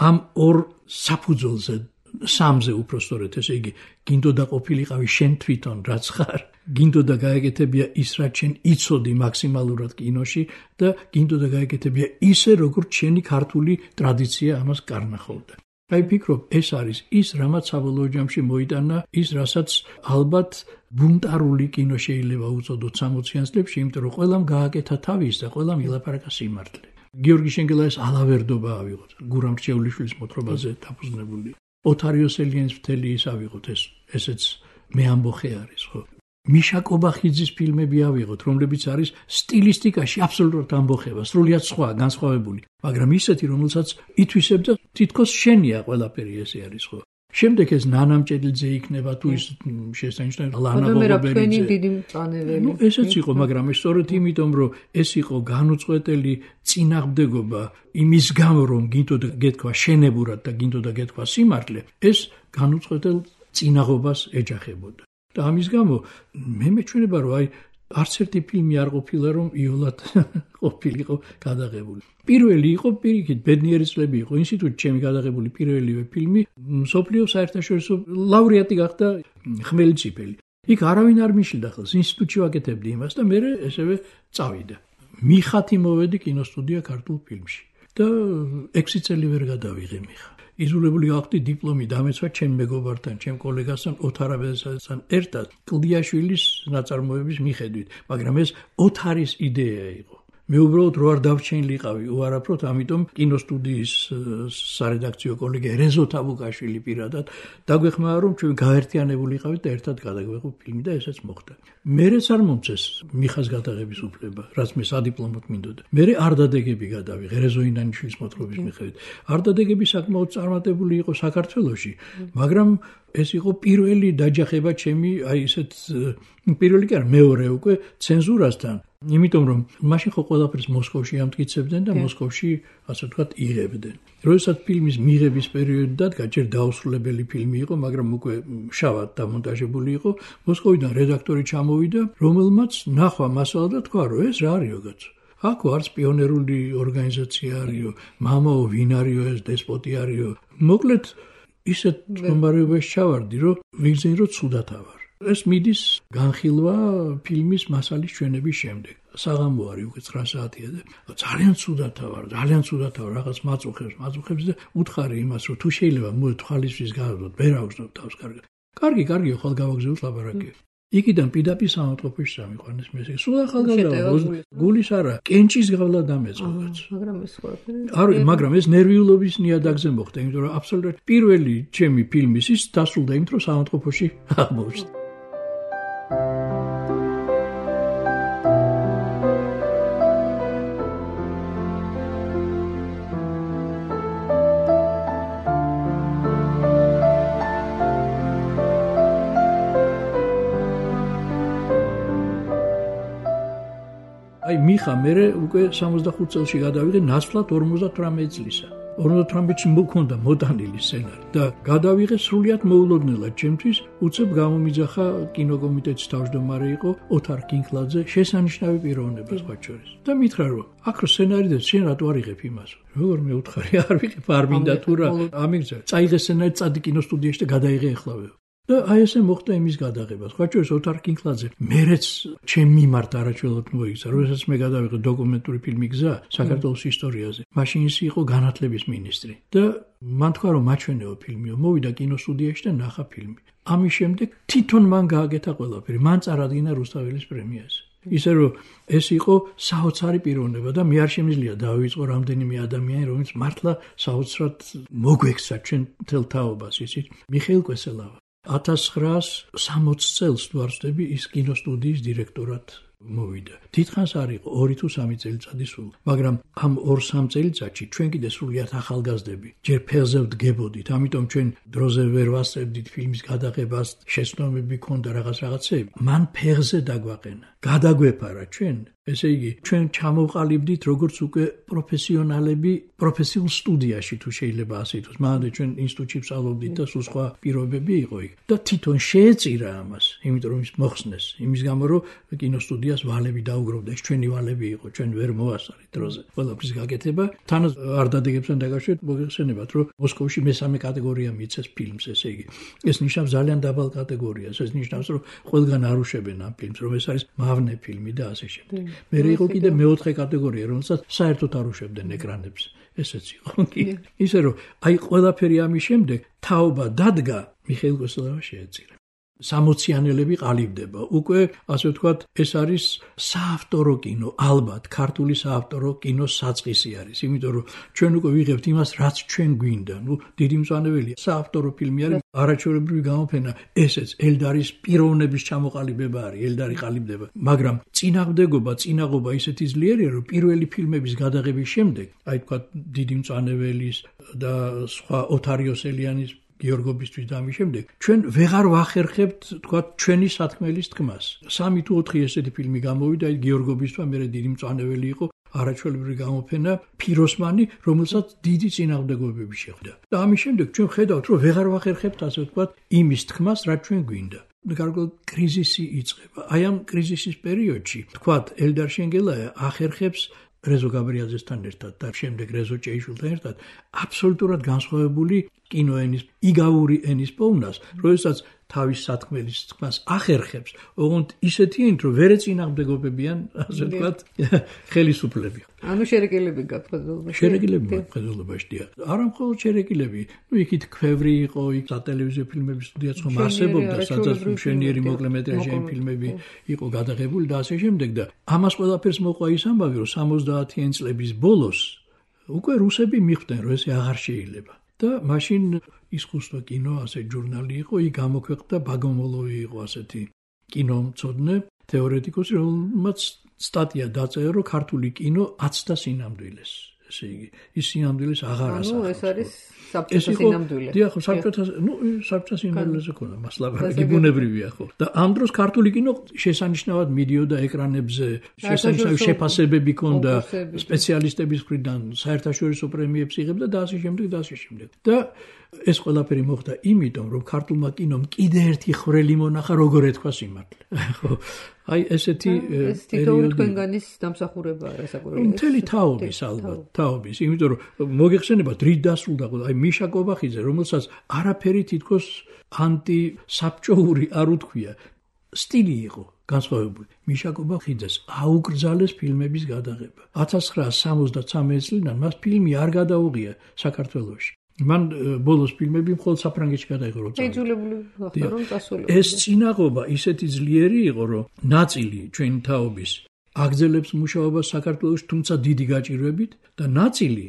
ამ ორ საფუძველზე სამზე უпростоრეთ, ესე იგი, გინდოდა ყოფილიყავი შენ თვითონ რაც ხარ, გინდოდა გაეკეთებია ის რაც შენ იცოდი მაქსიმალურად კინოში და გინდოდა გაეკეთებია ისე როგორც შენი ქართული ტრადიცია ამას კარნახავდა. აი ფიქრობ, ეს არის ის, რამაც საბოლოო ჯამში მოიტანა ის, რასაც ალბათ ბუნტარული კინო შეიძლება უწოდოთ 60-იან წლებში, იმიტომ რომ ყველამ გააკეთა თავის და ყველამ ილაპარაკა სიმართლე. გიორგი შენგელაის ალავერდობა ავიღოთ, გურამ რჩეულიშვილის მოთხრობაზე დაფუძნებული. ოთარ იოსელიანის მთელი ის ავიღოთ, ესეც მე ამბოხე არის, ხო? მიშა კობახიძის ფილმები ავიღოთ, რომლებიც არის სტილისტიკაში აბსოლუტურად ამბოხება, სრულიად სხვა, განსხვავებული, მაგრამ ისეთი, რომელსაც ითვისებდა თითქოს შენია ყველაფერი ესე არის, ხო? შემდეგ ეს ნანამჭედლიძე იქნება თუ ის შესანიშნავი ლანა გოგობერიძე. დიდი მწვანეველი. ესეც იყო, მაგრამ ეს სწორედ იმიტომ, რომ ეს იყო განუწყვეტელი წინააღმდეგობა იმის გამო, რომ გინდოდა გეთქვა შენებურად და გინდოდა გეთქვა სიმართლე, ეს განუწყვეტელ წინაღობას ეჯახებოდა. და ამის გამო მე მეჩვენება, რომ აი არც ერთი ფილმი არ ყოფილა, რომ იოლად ყოფილიყო გადაღებული. პირველი იყო პირიქით ბედნიერი წლები იყო ინსტიტუტში ჩემი გადაღებული პირველივე ფილმი, მსოფლიო საერთაშორისო ლაურეატი გახდა ხმელიციფელი. იქ არავინ არ მიშლდა ხელს, ინსტიტუტში ვაკეთებდი იმას და მე ესევე წავიდა. მიხათი მოვედი კინოსტუდია ქართულ ფილმში და 6 წელი ვერ გადავიღე მიხა. იზოლებული გავხდი დიპლომი დამეცვა ჩემ მეგობართან, ჩემ კოლეგასთან ოთარ აბესაძესთან ერთად კლდიაშვილის ნაწარმოების მიხედვით, მაგრამ ეს ოთარის იდეა იყო. მე უბრალოდ რო არ დავჩენილიყავი უარაფროდ, ამიტომ კინოსტუდიის სარედაქციო კოლეგე რეზო თაბუკაშვილი პირადად დაგვეხმარა, რომ ჩვენ გაერთიანებულიყავით და ერთად გადაგვეღო ფილმი და ესეც მოხდა. მერეც არ მომწეს მიხას გადაღების უფლება, რაც მე სადიპლომოდ მინდოდა. მერე არ დადეგები გადავიღე რეზო ინანიშვილის მოთხრობის მიხედვით. არ დადეგები საკმაოდ წარმატებული იყო საქართველოში, მაგრამ ეს იყო პირველი დაჯახება ჩემი აი ესეთ პირველი კი არა მეორე უკვე ცენზურასთან, იმიტომ რომ მაშინ ხო ყველაფერს მოსკოვში ამტკიცებდნენ და მოსკოვში ასე ვთქვათ იღებდნენ. როდესაც ფილმის მიღების პერიოდი დადგა, ჯერ დაუსრულებელი ფილმი იყო, მაგრამ უკვე შავად დამონტაჟებული იყო, მოსკოვიდან რედაქტორი ჩამოვიდა, რომელმაც ნახვა მასალა და თქვა, რომ ეს რა არისო კაცო. აქ არც პიონერული ორგანიზაცია არისო, მამაო ვინ არისო ეს დესპოტი არისო. მოკლედ ისეთ მდგომარეობაში ჩავარდი, რომ ვიგზენი რომ ცუდად ავარ. ეს მიდის განხილვა ფილმის მასალის ჩვენების შემდეგ. საღამო არის უკვე 9 საათია და ძალიან ცუდად ავარ, რაღაც მაწუხებს და უთხარი იმას, რომ თუ შეიძლება მოეთვალისწრის გავდოთ, ვერ აღვწნოთ თავს კარგად. კარგი, ხვალ გავაგზავნოთ ლაბორატორიაში. იქიდან პირდაპირ სამავთყოფოში სამიყვანეს მე. სულ ახალგაზრდა გულის არა, კენჭის გავლა დამეწყოთ. მაგრამ ეს ნერვიულობის ნიადაგზე მოხდა, იმიტომ რომ აბსოლუტურად პირველი ჩემი ფილმი ის დასრულდა იმით, რომ სამავთყოფოში აღმოჩნდა. მიხა მე უკვე 65 წელში გადავიღე ნაცვლად 58 წლისა. 58-ში მქონდა მოტანილი სცენარი და გადავიღე სრულიად მოულოდნელად ჩემთვის, უცებ გამომიძახა კინოკომიტეტის თავმჯდომარე იყო ოთარ კინკლაძე, შესანიშნავი პიროვნება სხვა შორის. და მითხრა რომ აქ რო სცენარი და შენ რატო არ იღებ იმას? როგორ მე უთხარი არ ვიღებ, არ მინდა თუ რა. ამიგზა, წაიღე სცენარი, წადი კინოსტუდიაში და გადაიღე ახლავე. და აი ესე მოხდა იმის გადაღება. სხვა შორის ოთარ კინკლაძე მერეც ჩემ მიმართ არაჩვეულად მოიქცა, როდესაც მე გადავიღე დოკუმენტური ფილმი გზა საქართველოს ისტორიაზე. მაშინ ის იყო განათლების მინისტრი და მან თქვა რომ მაჩვენეო ფილმიო, მოვიდა კინოსტუდიაში და ნახა ფილმი. ამის შემდეგ თვითონ მან გააკეთა ყველაფერი, მან წარადგინა რუსთაველის პრემიაზე. ისე რომ ეს იყო საოცარი პიროვნება და მე არ შემიძლია დავიწყო რამდენიმე ადამიანი, რომელიც მართლა საოცრად მოგვექცა ჩვენ მთელ თაობას, იცით? მიხეილ კვესელავა 1960 წელს თუ არ ვცდები ის კინოსტუდიის დირექტორად მოვიდა. თითქოს არ იყო 2 თუ 3 წელიწადი სულ, მაგრამ ამ 2-3 წელიწადში ჩვენ კიდე სრულიად ახალგაზრდები ჯერ ფეხზე ვდგებოდით, ამიტომ ჩვენ დროზე ვერ ვასწრებდით ფილმის გადაღებას, შეცდომები ქონდა რაღაცეები. მან ფეხზე დაგვაყენა. გადაგვეფარა ჩვენ, ესე იგი, ჩვენ ჩამოვყალიბდით როგორც უკვე პროფესიონალები პროფესიულ სტუდიაში თუ შეიძლება ასე ითქვას. მანამდე ჩვენ ინსტიტუტში ვსწავლობდით და სულ სხვა პირობები იყო იქ. და თვითონ შეეწირა ამას, იმიტომ რომ ის მოხსნეს, იმის გამო რომ კინოსტუდიას ვალები დაუგროვდა, ეს ჩვენი ვალები იყო, ჩვენ ვერ მოვასწარით დროზე. ყველაფრის გაკეთება, თან არ დადეგებთან დაკავშირებით მოგეხსენებათ, რომ მოსკოვში მესამე კატეგორია მიცეს ფილმს, ესე იგი. ეს ნიშნავს ძალიან დაბალ კატეგორიას, ეს ნიშნავს, რომ ყველგან არ უშვებენ ამ ფილმს, რომ ეს არის მავნე ფილმი და ასე შემდეგ. მე იყო კიდე მეოთხე კატეგორია, რომელსაც საერთოდ არ უშვებდნენ ეკრანებს. ესეც იყო. ისე რომ აი ყველაფერი ამის შემდეგ თაობა დადგა, მიხეილ კვესელავა შეეწირა. 60-იანელები ყალიბდება. უკვე ასე ვთქვათ, ეს არის საავტორო კინო, ალბათ ქართული საავტორო კინოს საწყისი არის, იმიტომ რომ ჩვენ უკვე ვიღებთ იმას, რაც ჩვენ გვინდა. დიდი მწვანეველია, საავტორო ფილმი არის, არაჩვეულებრივი გამოფენა, ესეც ელდარის პიროვნების ჩამოყალიბება არის, ელდარი ყალიბდება, მაგრამ წინაღობა ისეთი ძლიერია, რომ პირველი ფილმების გადაღების შემდეგ, აი ვთქვათ, დიდი მწვანეველის და სხვა ოთარიოსელიანის გიორგობისთვის და ამის შემდეგ ჩვენ ვეღარ ვახერხებთ თქვათ ჩვენი სათქმელის თქმას. 3 თუ 4 ესეთი ფილმი გამოვიდა, აი გიორგობისთვის მერე დიდი მწვანეველი იყო, არაჩვეულებრივი გამოფენა ფიროსმანი, რომელსაც დიდი წინააღმდეგობები შეხვდა. და ამის შემდეგ ჩვენ ხედავთ, რომ ვეღარ ვახერხებთ ასე ვთქვათ იმის თქმას, რაც ჩვენ გვინდა. გარკვეულ კრიზისი იწყება. აი ამ კრიზისის პერიოდში თქვათ ელდარ შენგელაია ახერხებს რეზო გაბრიაძესთან ერთად და შემდეგ რეზო ჭეიშვილთან ერთად აბსოლუტურად განსხვავებული კინოენის, იგავური ენის პოვნას, როდესაც თავის სათქმელის თქმას ახერხებს, ოღონდ ისეთიანით, რომ ვერ ეწინააღმდეგობებიან, ასე ვთქვათ, ხელისუფლები. ანუ შერეკილები გაქვთ ხედულობაში. შერეკილები ხედულობაში დიახ. არა მხოლოდ შერეკილები, იქით ქვევრი იყო, იქ სატელევიზიო ფილმების სტუდიაც ხომ არსებობდა, სადაც მშვენიერი მოკლემეტრაჟიანი ფილმები იყო გადაღებული და ასე შემდეგ და ამას ყველაფერს მოყვა ის ამბავი, რომ 70-იან წლების ბოლოს უკვე რუსები მიხვდნენ, რომ ეს აღარ შეიძლება. და მაშინ ისკუსტო კინო, ასე ჟურნალი იყო, იქ გამოქვეყნდა ბაგომოლოვი იყო ასეთი კინომცოდნე, თეორეტიკოსი, რომელმაც სტატია დაწერა, რომ ქართული კინო აცდა სინამდვილეს. ესე იგი, ის სინამდვილეს აღარ ასახავს. ანუ ეს არის საბჭოთა სინამდვილე. დიახ, საბჭოთა სინამდვილეზე ქონდა მასლაბარაკი ბუნებრივია ხო. და ამ დროს ქართული კინო შესანიშნავად მიდიოდა ეკრანებზე, შესანიშნავი შეფასებები ქონდა სპეციალისტების მხრიდან, საერთაშორისო პრემიებს იღებდა და ასე შემდეგ და ასე შემდეგ. და ეს ყველაფერი მოხდა იმიტომ, რომ ქართულმა კინომ კიდე ერთი ხვრელი მონახა, როგორ ეთქვა სიმართლე. ხო. აი ესეთი პერიოდი თქვენგანის დამსახურებაა რასაკვირველია. მთელი თაობის ალბათ, თაობის, იმიტომ რომ მოგეხსენება დრით დასრულდა, აი მიშა კობახიძე, რომელსაც არაფერი თითქოს ანტისაბჭოური არ უთქვია, სტილი იყო განსხვავებული. მიშა კობახიძეს აუკრძალეს ფილმების გადაღება. 1973 წლიდან მას φιλმი არ გადაუღია საქართველოში. მან ბოლოს ფილმები მხოლოდ საფრანგეთში გადაიღო. შეიძულებული გახდა რომ წასულიყო. ეს წინაღობა ისეთი ძლიერი იყო, რომ ნაწილი ჩვენი თაობის აგრძელებს მუშაობას საქართველოში, თუმცა დიდი გაჭირვებით და ნაწილი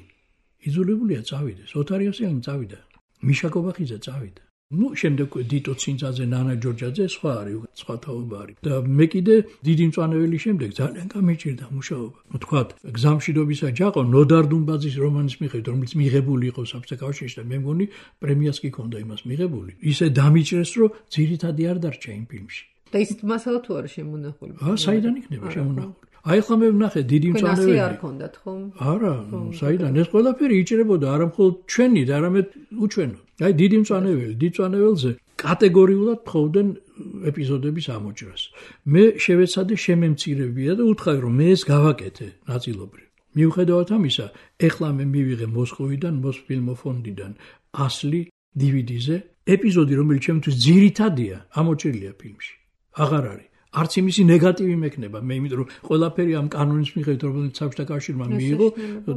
იძულებულია წავიდეს. ოთარიოსიანი წავიდა, მიშა კობახიძე წავიდა. შემდეგ დიტო ცინცაძე, ნანა ჯორჯაძე სხვა არის, სხვა თაობა არის. და მე კიდე დიდი მწვანეველი შემდეგ ძალიან გამეჭირდა მუშაობა. თქვათ, გზამშვიდობისა ჯაყო ნოდარ დუმბაძის რომანის მიხედვით, რომელიც მიღებული იყო საბჭოთა კავშირში და მე მგონი პრემიას კი ჰქონდა იმას მიღებული. ისე დამიჭრეს, რომ ძირითადი არ დარჩა იმ ფილმში. და ის მასალა თუ არის შემონახული? საიდან იქნება შემონახული? აი ხომ მე ვნახე დიდი მწვანეველი. არ ქონდათ ხომ? არა, საიდან ეს ყველაფერი იჭრებოდა არა მხოლოდ ჩვენი და არამედ უჩვენო. აი დიდი მწვანეველი, დიდ მწვანეველზე კატეგორიულად თხოვდნენ ეპიზოდების ამოჭრას. მე შევეცადე შემემცირებია და უთხრა რომ მე ეს გავაკეთე ნაწილობრივ. მიუხედავად ამისა, ეხლა მე მივიღე მოსკოვიდან, მოსფილმოფონდიდან 100 DVD-ზე ეპიზოდი, რომელიც ჩემთვის ძირითადია, ამოჭრილია ფილმში. აღარ არის. არც იმისი ნეგატივი მექნება, მე იმიტომ რომ ყველაფერი ამ კანონის მიხედვით, რომელიც საბჭოთა კავშირმა მიიღო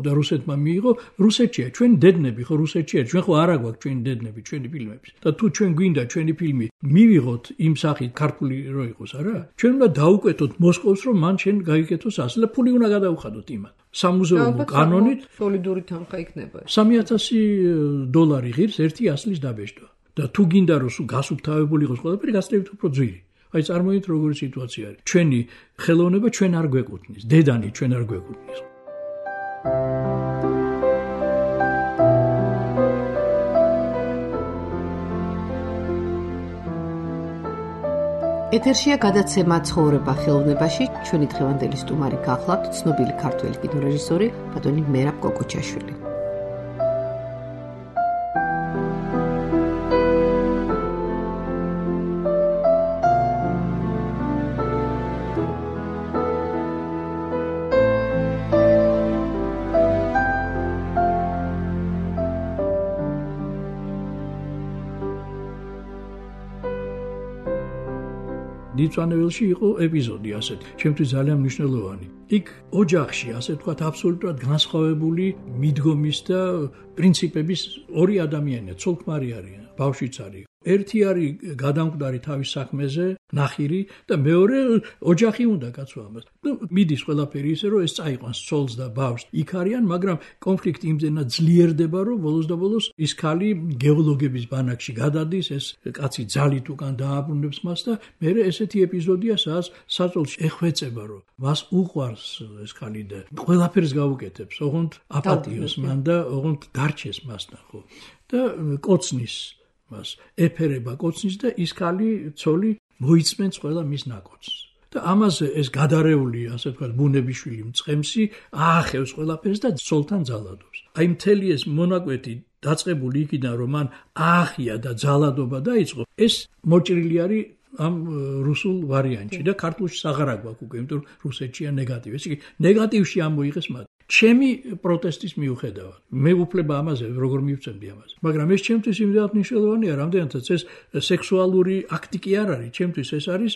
და რუსეთმა მიიღო, რუსეთშია, ჩვენ დედნები ხო რუსეთშია, ჩვენ ხო არა გვაქვს ჩვენი დედნები, ჩვენი ფილმები. და თუ ჩვენ გვინდა ჩვენი ფილმი მივიღოთ იმ სახით ქართული რო იყოს, არა? ჩვენ უნდა დაუკვეთოთ მოსკოვს, რომ მან შენ გაიგეთოს ასე და ფული უნდა გადაუხადოთ იმათ. სამუზეუმო კანონით სოლიდური თანხა იქნება. $3,000 ღირს ერთი ასლის დაბეჭდვა. და თუ გინდა რომ გასუფთავებული იყოს ყველაფერი, გასწრებით უფრო ძვირი. აი წარმოიდგინეთ როგორი სიტუაცია არის. ჩვენი ხელოვნება ჩვენ არ გვეკუთვნის, დედანი ჩვენ არ გვეკუთვნის. ეთერშია გადაცემა ცხოვრება ხელოვნებაში. ჩვენი დღევანდელი სტუმარი გახლავთ ცნობილი ქართველი კინორეჟისორი ბატონი მერაბ კოკოჩაშვილი. დიდწვანეველში იყო ეპიზოდი ასეთი, ჩემთვის ძალიან მნიშვნელოვანი. იქ ოჯახში, ასე ვთქვათ, აბსოლუტურად განსხვავებული მიდგომის და პრინციპების ორი ადამიანია, ცოლ-ქმარი არიან, ბავშვიც არის. ერთი არის გადამკვდარი თავის საქმეზე, ნახირი და მეორე ოჯახი უნდა კაცო ამას. მიდის ყველაფერი ისე რომ ეს წაიყვანს ცოლს და ბავშვს. იქ არიან, მაგრამ კონფლიქტი იმდენად ძლიერდება, რომ ბოლოს და ბოლოს ის ქალი გეოლოგების ბანაკში გადადის, ეს კაცი ძალით უკან დააბრუნებს მას და მე ესეთი ეპიზოდია, სადაც საწოლში ეხვეწება, რომ მას უყვარს ეს ქალი და ყველაფერს გაუკეთებს, ოღონდ აპატიოს მან და ოღონდ დარჩეს მასთან, ხო? და კოცნის მას ეფერება კოცნის და ის ქალი ცოლი მოიწმენს ყველა მის ნაკოცს. და ამაზე ეს გადარეული, ასე ვთქვათ, ბუნებიშვილი მწყემსი აახევს ყველაფერს და ცოლთან ძალადობს. აი მთელი ეს მონაკვეთი დაწყებული იქიდან, რომ მან აახია და ძალადობა დაიწყო, ეს მოჭრილი არის ამ რუსულ ვარიანტში და ქართულში აღარ აქვს უკვე, იმიტომ რომ რუსეთშია ნეგატივი. ესე იგი ნეგატივში ამოიღეს მათ. ჩემი პროტესტის მიუხედავად. მე უფლება ამაზე როგორ მივცემდი ამაზე. მაგრამ ეს ჩემთვის იმდენად მნიშვნელოვანია, რამდენადაც ეს სექსუალური აქტი კი არ არის, ჩემთვის ეს არის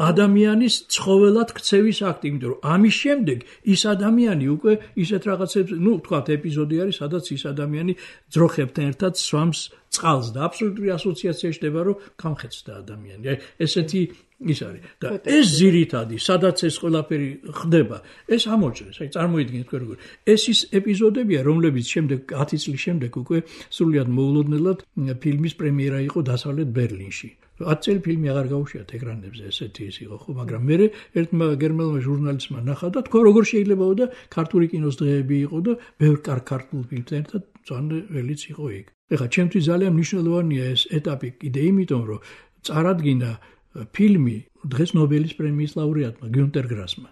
ადამიანის ცხოველად ქცევის აქტი, იმიტომ რომ ამის შემდეგ ის ადამიანი უკვე ისეთ რაღაცებს, თქვათ ეპიზოდი არის, სადაც ის ადამიანი ძროხებთან ერთად სვამს წყალს და აბსოლუტური ასოციაცია ხდება, რომ გამხეცდა ადამიანი. აი ესეთი ის არის და ეს ძირითადი, სადაც ეს ყველაფერი ხდება, ეს ამოჭრეს. აი წარმოიდგინეთ როგორ. ეს ის ეპიზოდებია, რომლებიც შემდეგ 10 წლის შემდეგ უკვე სრულიად მოულოდნელად ფილმის პრემიერა იყო დასავლეთ ბერლინში. 10 წელი ფილმი აღარ გაუშვიათ ეკრანებზე, ესეთი ის იყო, ხო, მაგრამ მე ერთმა გერმანულმა ჟურნალისტმა ნახა და თქვა როგორ შეიძლებაო და ქართული კინოს დღეები იყო და ბევრ ქართულ ფილმთან ერთად წვანველიც იყო იქ. ეხლა ჩემთვის ძალიან მნიშვნელოვანია ეს ეტაპი კიდე იმიტომ, რომ წარადგინა ფილმი დღეს ნობელის პრემიის ლაურეატმა გიუნტერ გრასმა.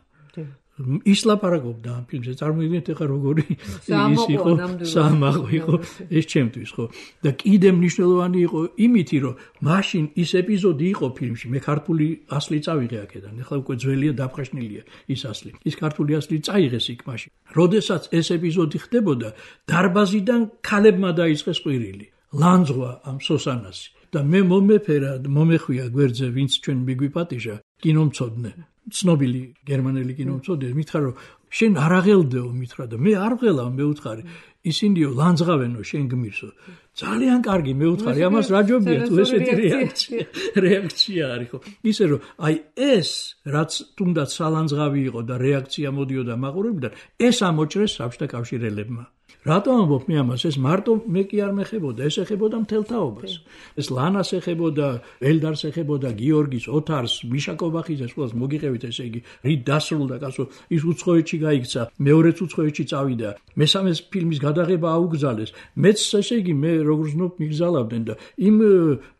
ის ლაპარაკობდა ამ ფილმზე, წარმოიდგინეთ ეხლა როგორი ის იყო, საამაყო იყო ეს ჩემთვის, ხო? და კიდე მნიშვნელოვანი იყო იმითი, რომ მაშინ ის ეპიზოდი იყო ფილმში, მე ქართული ასლი წავიღე აქედან, ეხლა უკვე ძველია დაფხაშნილია ის ასლი. ის ქართული ასლი წაიღეს იქ მაშინ. როდესაც ეს ეპიზოდი ხდებოდა, დარბაზიდან ქალებმა დაიწყეს ყვირილი. ლანძღვა ამ სოსანასი. და მე მომეხვია გვერდზე, ვინც ჩვენ მიგვიპატიჟა, კინომცოდნე, ცნობილი გერმანელი კინომცოდნე, მითხრა რომ შენ არ აღელდეო, მითხრა და მე არ ვღელავ, მე უთხარი, ისინიო ლანძღავენო, შენ გმირსო. ძალიან კარგი, მე უთხარი, ამას რა ჯობია თუ ესეთი რეაქცია არის, ხო? ისე რომ აი ეს რაც თუნდაც სალანძღავი იყო და რეაქცია მოდიოდა მაყურებელიდან, ეს ამოჭრეს საბჭოთა კავშირელებმა. რატომ ამბობ მე ამას? ეს მარტო მე კი არ მეხებოდა, ეს ეხებოდა მთელ თაობას. ეს ლანას ეხებოდა, ელდარს ეხებოდა, გიორგის, ოთარს, მიშა კობახიძეს, ყველას მოგიყევით, ესე იგი, რით დასრულდა, კაცო, ის უცხოეთში გაიქცა, მეორეც უცხოეთში წავიდა, მესამეს ფილმის გადაღება აუგზალეს. მეც ესე იგი, მე როგორც ვთქვი, მიგზალავდნენ და იმ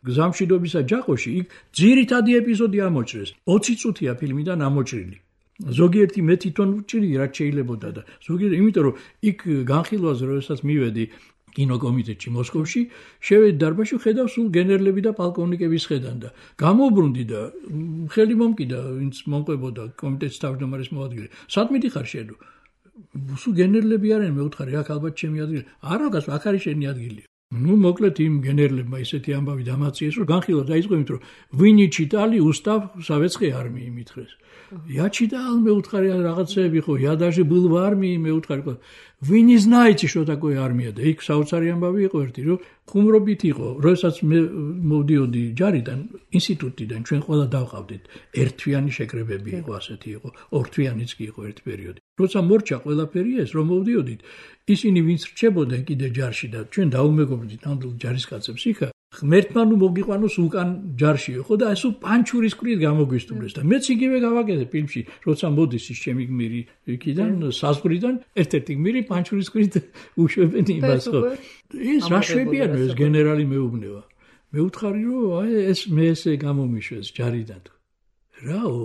გზამშვიდობისა ჯაყოში იქ ძირითადი ეპიზოდი ამოჭრეს. 20 წუთია ფილმიდან ამოჭრილი. ზოგიერთი მე თვითონ ვჭირი რაც შეიძლებოდა და ზოგიერთი იმიტომ რომ იქ განხილვაზე როდესაც მივედი კინოკომიტეტში მოსკოვში შევედი დარბაზში ხედავ სულ გენერლები და პოლკოვნიკების ხედან და გამოვბრუნდი და ხელი მომკიდა ვინც მომყვებოდა კომიტეტის თავმჯდომარის მოადგილე სად მიდიხარ შენ სულ გენერლები არიან მე ვუთხარი აქ ალბათ ჩემი ადგილი არა გას აქ არის შენი ადგილი ну მოკლედ იმ გენერლებმა ისეთი ამბავი დამაციეს რომ განხილვა დაიწყო იმიტომ რომ ვინი ჩიტალი უსტავ სავეცკი არმიი მითხრეს Я читал, мы уткали рагацеби, я даже был в армии, мы уткали. Вы не знаете, что такое армия. Да и к Сауцариям бави квартиру, хумробит его. Росац мовдиоди джаридан, институтидан, ჩვენ ყველა დავყავდით. ერთვიანი შეკრებები იყო ასეთი იყო, ორთვიანიც კი იყო ერთ პერიოდი. როცა მორჩა ყველაფერი ეს, რომ მოვდიოდით, ისინი ვინც რჩებოდნენ კიდე ჯარში და ჩვენ დაუმეგობრდით ნამდვილ ჯარისკაცებს იქა. ღმერთმა ნუ მოგიყვანოს უკან ჯარშიო, ხო და ესო პანჩურის კვირით გამოგვისტუმრეს და მეც იგივე გავაკეთე ფილმში, როცა მოდის ის ჩემი გმირი იქიდან საზღვრიდან, ერთ-ერთი გმირი პანჩურის კვირით უშვებენ იმას, ხო. ეს რა შვებიანო ეს გენერალი მეუბნება. მე ვუთხარი რომ აი ეს მე ესე გამომიშვეს ჯარიდან. რაო?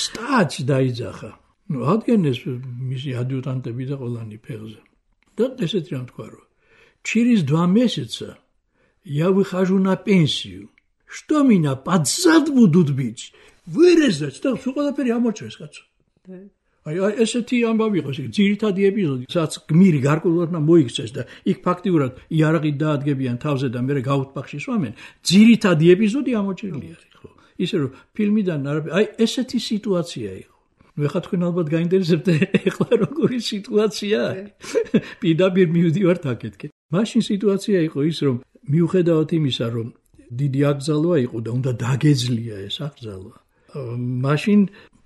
სტაც დაიძახა. ნუ ადგენეს მისი ადიუტანტები და ყველანი ფეხზე. და ესეთი რამ თქვა რომ Через 2 месяца я выхожу на пенсию. Что меня под зад будут бить? Вырезать? Так, все ყველაფერი ამოჭრეს, კაცო. აი ესეთი ამბავი იყო, ძირითადი ეპიზოდი, სადაც გმირი გარკვეულად მოიქცეს და იქ ფაქტიურად იარაღით დაადგებიან თავზე და მერე გაუთბახში სვამენ. ძირითადი ეპიზოდი ამოჭრილი არის, ხო? ისე რომ ფილმიდან აი ესეთი სიტუაცია იყო. ნუ ეხლა თქვენ ალბათ გაინტერესებთ ეხლა როგორი სიტუაცია არის. პირდაპირ მივდივართ აქეთკე. მაშინ სიტუაცია იყო ის, რომ მიუხედავად იმისა, რომ დიდი აკრძალვა იყო და უნდა დაგეძლია ეს აკრძალვა, მაშინ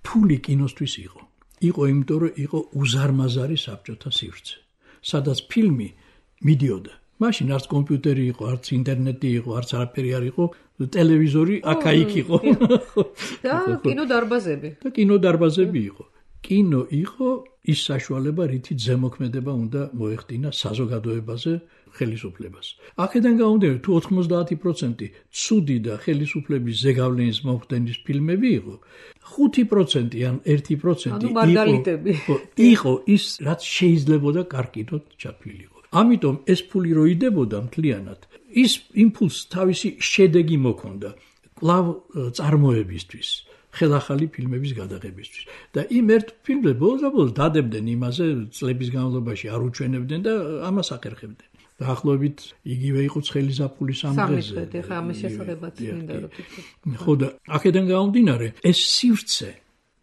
ფული კინოსთვის იყო. იყო იმიტომ, რომ იყო უზარმაზარი საბჭოთა სივრცე, სადაც ფილმი მიდიოდა. მაშინ არც კომპიუტერი იყო, არც ინტერნეტი იყო, არც არაფერი არ იყო, ტელევიზორი აქა-იქ იყო. და კინოდარბაზები. და კინოდარბაზები იყო. კინო იყო ის საშუალება, რითიც ზემოქმედება უნდა მოეხდინა საზოგადოებაზე ხელისუფლებას. აქედან გამომდინარე, თუ 90% ცუდი და ხელისუფლების ზეგავლენის მომხდენის ფილმები იყო, 5% ან 1% იყო ის, რაც შეიძლებოდა კარგიტოდ ჩაფილიყო. ამიტომ ეს ფული რო იდებოდა მთლიანად, ის იმპულს თავისი შედეგი მოქონდა კვლავ წარმოებისთვის. ხელახალი ფილმების გადაღებისთვის. და იმ ერთ ფილმზე ბოლოს დადებდნენ იმაზე, წლების განმავლობაში არ უჩვენებდნენ და ამას აკერხებდნენ. დაახლოებით იგივე იყო ცხელი ზაფხულის ამ დღეზე. ხა ამის შესახებაც მინდა რომ თქვი. ხო და აქედან გამომდინარე, ეს სივრცე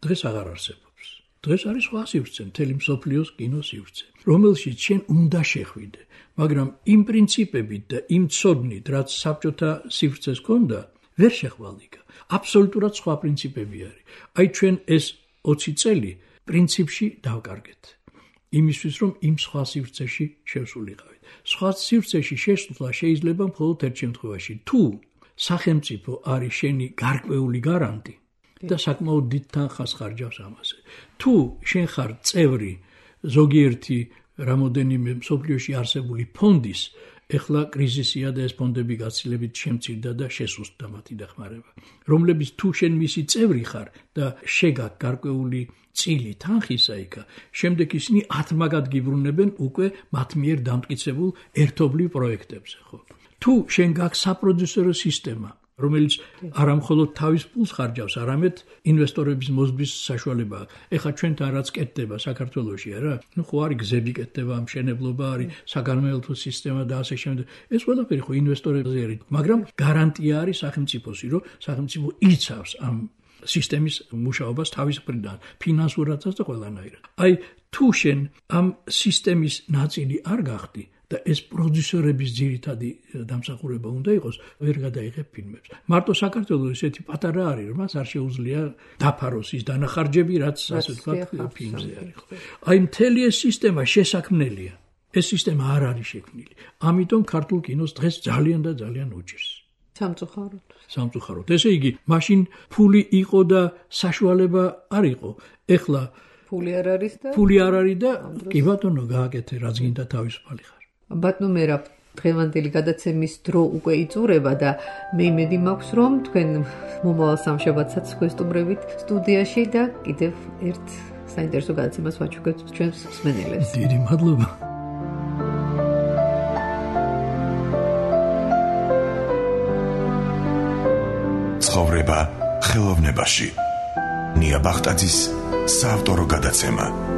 დღეს აღარ არსებობს. დღეს არის სხვა სივრცე, მთელი მსოფლიოს კინო სივრცე, რომელშიც შენ უნდა შეხვიდე, მაგრამ იმ პრინციპებით და იმ ცოდნით, რაც საბჭოთა სივრცეს ჰქონდა, ვერ შეხვალიკა. აბსოლუტურად სხვა პრინციპები არის. აი ჩვენ ეს 20 წელი პრინციპში დავკარგეთ. იმისთვის რომ იმ სხვა სივრცეში შევსულიყავით. სხვა სივრცეში შესვლა შეიძლება მხოლოდ ერთ შემთხვევაში, თუ სახელმწიფო არის შენი გარკვეული გარანტი და საკმაოდ დიდ თანხას ხარჯავს ამაზე. თუ შენ ხარ წევრი ზოგიერთი რამოდენიმე მსოფლიოში არსებული ფონდის, ეხლა კრიზისია და ეს ფონდები გაცილებით შემცირდა და შესუსტდა მათი დახმარება, რომლებიც თუ შენ მისი წევრი ხარ და შეგაქვს გარკვეული წილი თანხისა იქა, შემდეგ ისინი ათმაგად გიბრუნებენ უკვე მათ მიერ დამტკიცებულ ერთობლივ პროექტებზე, ხო? თუ შენ გაქვს საპროდიუსერო სისტემა, რომელიც არა მხოლოდ თავის პულს ხარჯავს, არამედ ინვესტორების მოზგვის საშუალება აქვს. ეხლა ჩვენთან რაც კეთდება საქართველოში, არა? ხო არის გზები კეთდება, მშენებლობა არის, საგანმანათლებლო სისტემა და ასე შემდეგ. ეს ყველაფერი ხო ინვესტორებზე არის, მაგრამ გარანტია არის სახელმწიფოსი, რომ სახელმწიფო იცავს ამ სისტემის მუშაობას თავის მხრიდან, ფინანსურადაც და ყველანაირად. აი, თუ შენ ამ სისტემის ნაწილი არ გახდი და ეს პროდიუსერების ძირითადი დამსახურება უნდა იყოს, ვერ გადაიღებ ფილმებს. მარტო საქართველოს ესეთი პატარა არის, რომ მას არ შეუძლია დაფაროს ის დანახარჯები, რაც ასე ვთქვათ, ფილმზე არის. აი, მთელი ეს სისტემა შესაქმნელია. ეს სისტემა არ არის შექმნილი. ამიტომ ქართულ კინოს დღეს ძალიან და ძალიან უჭირს. სამწუხაროდ. ესე იგი, მაშინ ფული იყო და საშუალება არ იყო. ეხლა ფული არ არის და კი ბატონო, გააკეთე, რაც გინდა თავისუფალი ხარ. ბატონო მერაბ, დღევანდელი გადაცემის დრო უკვე იწურება და მე იმედი მაქვს, რომ თქვენ მომავალ სამშაბათსაც გვესტუმრებით სტუდიაში და კიდევ ერთ საინტერესო გადაცემას ვაჩუქებთ ჩვენს მსმენელებს. დიდი მადლობა. ცხოვრება ხელოვნებაში. ნია ბახტაძის საავტორო გადაცემა.